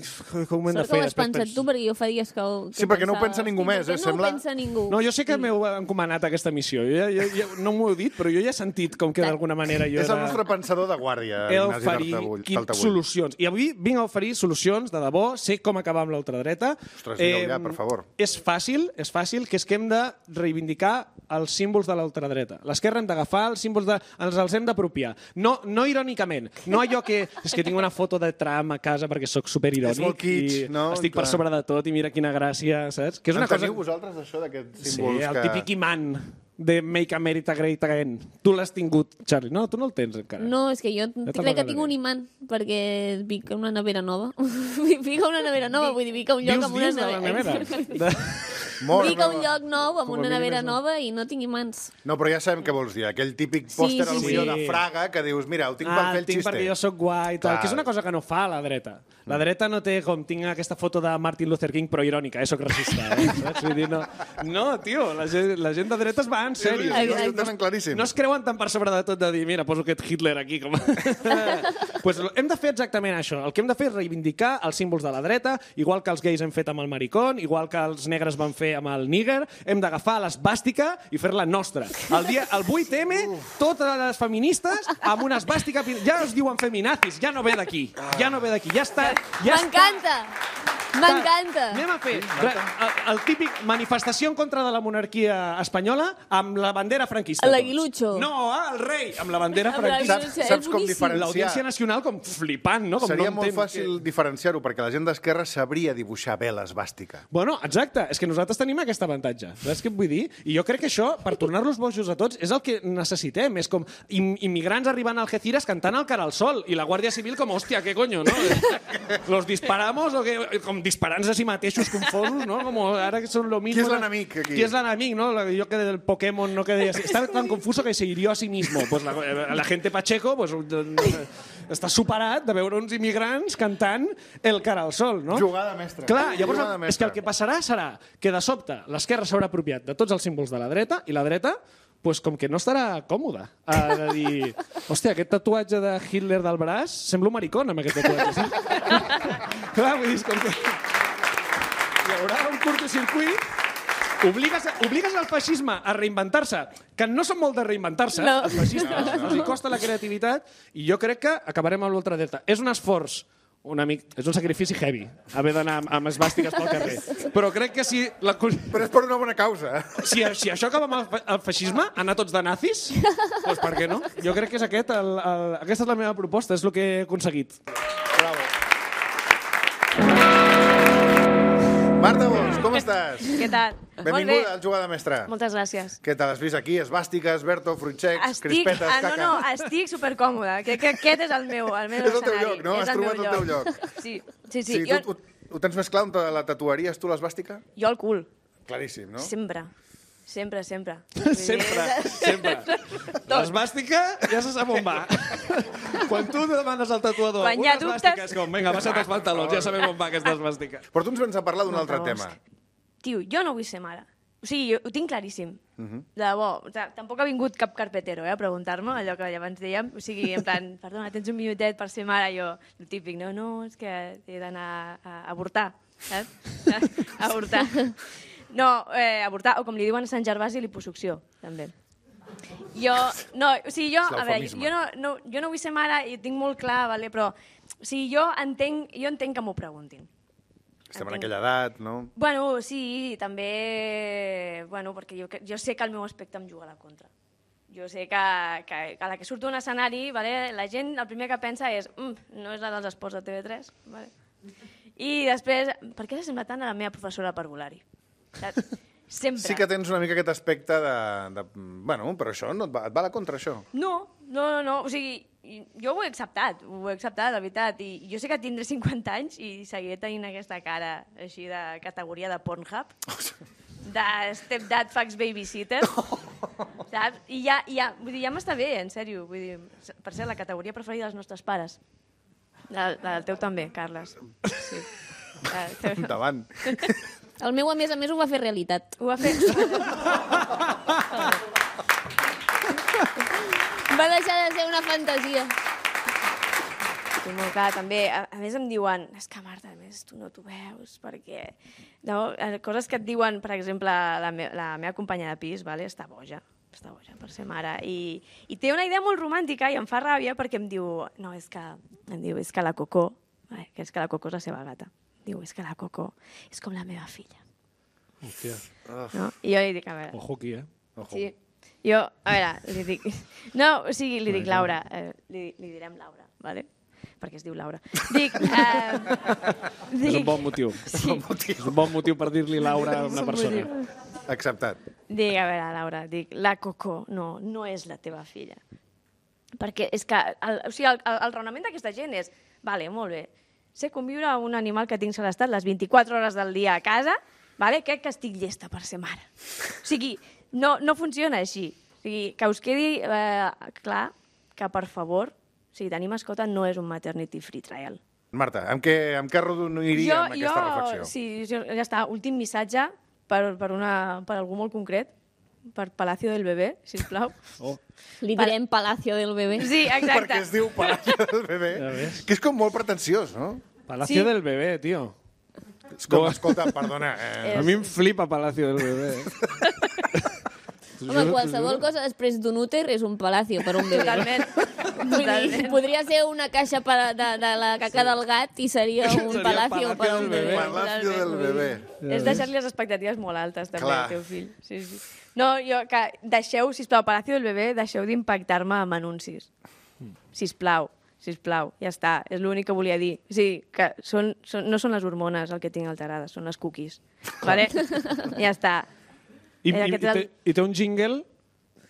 com ho hem de Sort que fer. ho has Després pensat penso- tu, perquè jo fa dies que... ho- que Sí, perquè no ho pensava, pensa ningú "Hosti, més, per què eh, no sembla?" ho pensa ningú. No, jo sé que m'heu encomanat aquesta missió. Jo, jo, jo, no m'ho heu dit, però jo ja he sentit com que d'alguna manera jo És el era... nostre pensador de guàrdia, He Ignasi d'oferir Taltabull. quin- Taltabull. solucions. I avui vinc a oferir solucions, de debò, sé com acabar amb l'ultradreta. Ostres, digue-ho ja, per favor. És fàcil, és fàcil, que és que hem de reivindicar els símbols de l'ultradreta. L'esquerra hem d'agafar els símbols, de, ens els hem d'apropiar. No, no irònicament, no allò que... És que tinc una foto de Trump a casa perquè sóc superirònic És molt kitsch, i no? estic per Clar. sobre de tot i mira quina gràcia, saps? Que és En una cosa... teniu vosaltres, això, d'aquests Sí, símbols el que... típic imant de Make America Great Again. Tu l'has tingut, Charlie. No, tu no el tens encara. No, és que jo te'l crec que regalaré. tinc un imant, perquè vinc a una nevera nova. Vinc a una nevera nova, vull dir, vinc a un lloc Vius amb una dins de la nevera. nevera. De... Molt Vinc a un nova. lloc nou amb Com a una mínim nevera és un- nova i no tinc imants. No, però ja sabem què vols dir. Aquell típic Sí, pòster sí, al sí. millor de Fraga que dius, mira, ho tinc per Ah, fer el el tinc xiste. perquè jo sóc guai i tal, Clar. que és una cosa que no fa la dreta. La dreta no té com tinc aquesta foto de Martin Luther King però irònica, eh? Soc racista, eh? Saps? Vull dir, no, no, tio, la gent, la gent de dretes va en sèrio. Sí, sí, sí, ho tenen claríssim. No es creuen tan per sobre de tot de dir, mira, poso aquest Hitler aquí. Com... pues hem de fer exactament això. El que hem de fer és reivindicar els símbols de la dreta, igual que els gais hem fet amb el maricón, igual que els negres van fer amb el níger, hem d'agafar l'esbàstica i fer-la nostra. El, dia, el vuit eme, totes les feministes amb una esbàstica... Ja es diuen feminazis, ja no ve d'aquí. Ja no ve d'aquí, ja està... Ja està. M'encanta! M'encanta. Anem a fer re, el, el típic manifestació en contra de la monarquia espanyola amb la bandera franquista. L'aguilucho. No, el rei, amb la bandera Amb franquista. l'aguilucho. Saps, És saps com boníssim. diferenciar? L'Audiència Nacional com flipant, no? Com Seria no molt entén fàcil que... diferenciar-ho, perquè la gent d'esquerra sabria dibuixar bé l'esbàstica. Bueno, exacte, és que nosaltres tenim aquest avantatge. Saps què et vull dir? I jo crec que això, per tornar-los bojos a tots, és el que necessitem. És com im immigrants arribant a Algeciras cantant el cara al sol i la Guàrdia Civil com, hòstia, què coño, no? Los disparamos o què? Com disparant-se a si mateixos confosos, no? Com ara que són lo mismo. Qui és l'enemic, aquí? Qui és l'enemic, no? Jo que del Pokémon no que deia... Està tan confuso que se hirió a sí mismo. Pues la, la gente Pacheco pues, està superat de veure uns immigrants cantant el cara al sol, no? Jugada mestra. Clar, llavors Jugada mestra. és que el que passarà serà que de sobte l'esquerra s'haurà apropiat de tots els símbols de la dreta i la dreta pues, com que no estarà còmoda. Ha de dir, hòstia, aquest tatuatge de Hitler del braç sembla un maricón amb aquest tatuatge. Sí? Clar, vull dir, com que hi haurà un curtocircuit. Obligues, obligues el feixisme a reinventar-se, que no són molt de reinventar-se, No. els feixistes, no, no. els hi costa la creativitat, i jo crec que acabarem amb l'ultradreta. És un esforç, un amic, és un sacrifici heavy, haver d'anar amb, amb esbàstiques pel carrer. Però crec que si... La, Però és per una bona causa. si, si això acaba amb el, fe- el feixisme, anar tots de nazis, doncs per què no? Jo crec que és aquest, el, el, aquesta és la meva proposta, és el que he aconseguit. Marta Bosch, com estàs? Què tal? Benvinguda al Jugada Mestra. Moltes gràcies. Què tal? Has vist aquí? Esbàstiques, Berto, fruitxecs, Estic, crispetes, ah, no, caca. no, estic supercòmoda. Crec que aquest és el meu, el meu És el teu escenari. lloc, no? És Has el trobat meu el teu lloc. Sí, sí, sí. Sí, jo, tu, tu, ho tens més clar on te la tatuaries tu, l'esbàstica? jo al cul, Claríssim, no? sempre. Sempre, sempre. Sempre, sempre. L'esbàstica ja se sap on va. Quan tu demanes al tatuador Quan hi una ha dubtes- esbàstica, és com, vinga, baixa't els pantalons, ja sabem on va aquesta esbàstica. Però tu ens vens a parlar d'un Marta altre Bosch. tema. Tio, jo no vull ser mare. O sigui, jo ho tinc claríssim. Uh -huh. De debò. O sigui, tampoc ha vingut cap carpetero eh, a preguntar-me allò que abans dèiem. O sigui, en plan, perdona, tens un minutet per ser mare? Jo, el típic, no, no, és que he d'anar a, a avortar, saps? A avortar. No, eh, avortar, o com li diuen a Sant Gervasi, liposucció, també. Jo, no, o sigui, jo, És a veure, l'eufemisme. jo no, no, jo no vull ser mare i ho tinc molt clar, vale? Però, o sigui, jo entenc, jo entenc que m'ho preguntin. Estem en Entenc. aquella edat, no? Bueno, sí, també... Bueno, perquè jo, jo sé que el meu aspecte em juga a la contra. Jo sé que, que a la que surto a un escenari, vale, la gent el primer que pensa és mm, no és la dels esports de T V tres. Vale. I després, per què s'assembla tant a la meva professora de parvulari? Saps? Sempre. Sí que tens una mica aquest aspecte de... de bueno, però això no et va, et va a la contra, això. No, no, no, no. O sigui, jo ho he acceptat, ho he acceptat, la veritat. I jo sé que tindré cinquanta anys i seguiré tenint aquesta cara així de categoria de Pornhub, de stepdad fax babysitter, saps? I ja, ja, vull dir, ja m'està bé, en sèrio. Vull dir, per cert, la categoria preferida dels nostres pares. La, la del teu també, Carles. Sí. La del teu... Endavant. El meu, a més a més, ho va fer realitat. Ho va fer... Va deixar de ser una fantasia. Sí, molt clar, també. A, a més em diuen, és que Marta, a més tu no t'ho veus, perquè... No, eh, coses que et diuen, per exemple, la, me la meva companya de pis, vale? Està boja, està boja per ser mare, i, i té una idea molt romàntica i em fa ràbia perquè em diu, no, és que, em diu, és que la Cocó, vale? Que és que la Cocó és la seva gata, diu, és que la Cocó és com la meva filla. Hòstia, No? I jo li dic, a veure... ojo aquí, eh? Sí. Jo, a veure, li dic... No, o sigui, li dic Laura, eh, li, li direm Laura, vale? Perquè es diu Laura. Dic... Eh, dic... És un bon motiu. Sí. És un bon motiu per dir-li Laura a una persona. Acceptat. Dic, a veure, Laura, dic, la Cocó, no, no és la teva filla. Perquè és que, el, o sigui, el, el, el raonament d'aquesta gent és, vale, molt bé, sé conviure amb un animal que tinc segrestat les vint-i-quatre hores del dia a casa, vale? Crec que estic llesta per ser mare. O sigui, no, no funciona així. O sigui, que us quedi eh, clar que, per favor, o sigui, tenir mascota no és un maternity free trial. Marta, amb què, amb què arrodoniria amb aquesta reflexió? Sí, jo, ja està. Últim missatge per, per, una, per algú molt concret, per Palacio del Bebé, sisplau. Oh. Li direm Palacio del Bebé. Sí, exacte. Perquè es diu Palacio del Bebé, Ja ves. que és com molt pretensiós, no? Palacio Sí. del Bebé, tio. És com, escolta, perdona... Eh, A mi em flipa Palacio del Bebé. Home, qualsevol cosa després d'un úter és un palacio per un bebè. Totalment. Totalment. Podria ser una caixa pa- de, de la caca del gat i seria un Seria palacio el per Palacio un del bebè. Bebè. Palacio del bebè. És deixar-li les expectatives molt altes, també, Clar. al teu fill. Sí, sí. No, jo, que deixeu, sisplau, Palacio del Bebè, deixeu d'impactar-me amb anuncis. Sisplau, sisplau, ja està, és l'únic que volia dir. Sí, que són, són, no són les hormones el que tinc alterades, són les cookies. Vale? Ja està. I, Era i, que i, té, I té un jingle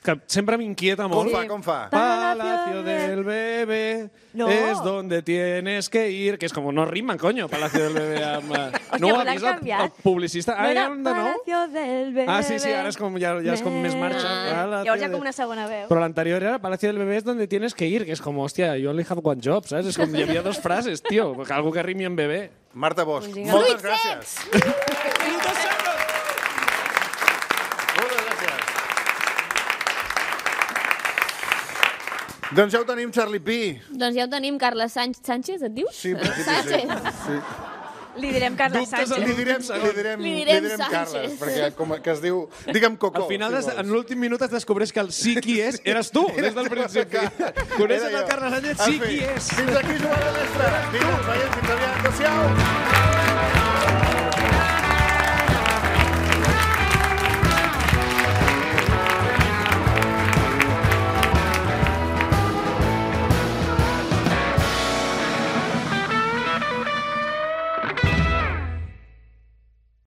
que sempre m'inquieta Com molt. fa, com fa? Palacio del Bebé No. es donde tienes que ir, que és com no rimen, coño, Palacio del Bebé amb... Hòstia, no ho però ha l'han vist el, canviat. el publicista. Ah, No ja era hem de nou? Palacio del Bebè. Ah, sí, sí, ara és com, ja, ja és com més marxa. Palacio Llavors hi ha de- com una segona veu. Però l'anterior era Palacio del Bebé es donde tienes que ir, que és com, hòstia, you only have one job, saps? És com, hi havia dos frases, tio, algú que rimi en bebè. Marta Bosch, Un jingle. moltes gràcies. Moltes gràcies. Doncs ja ho tenim, Charlie P. Doncs ja ho tenim, Carles Sánchez, Sánchez et dius? Sí, en principi sí. Sánchez. Sí. Li direm Carles Dubtes Sánchez. Li direm, li direm, Li li direm direm Sánchez. Carles, perquè com que es diu... Digue'm Cocó. Al final, si des, vols. en l'últim minut es descobreix que el sí qui és eres tu, des del principi. Coneixes Era el jo. Carles Sánchez? En Sí fi, qui és. Fins aquí, Joan Mestre. Vinga, veiem, fins aviat. Adéu-siau.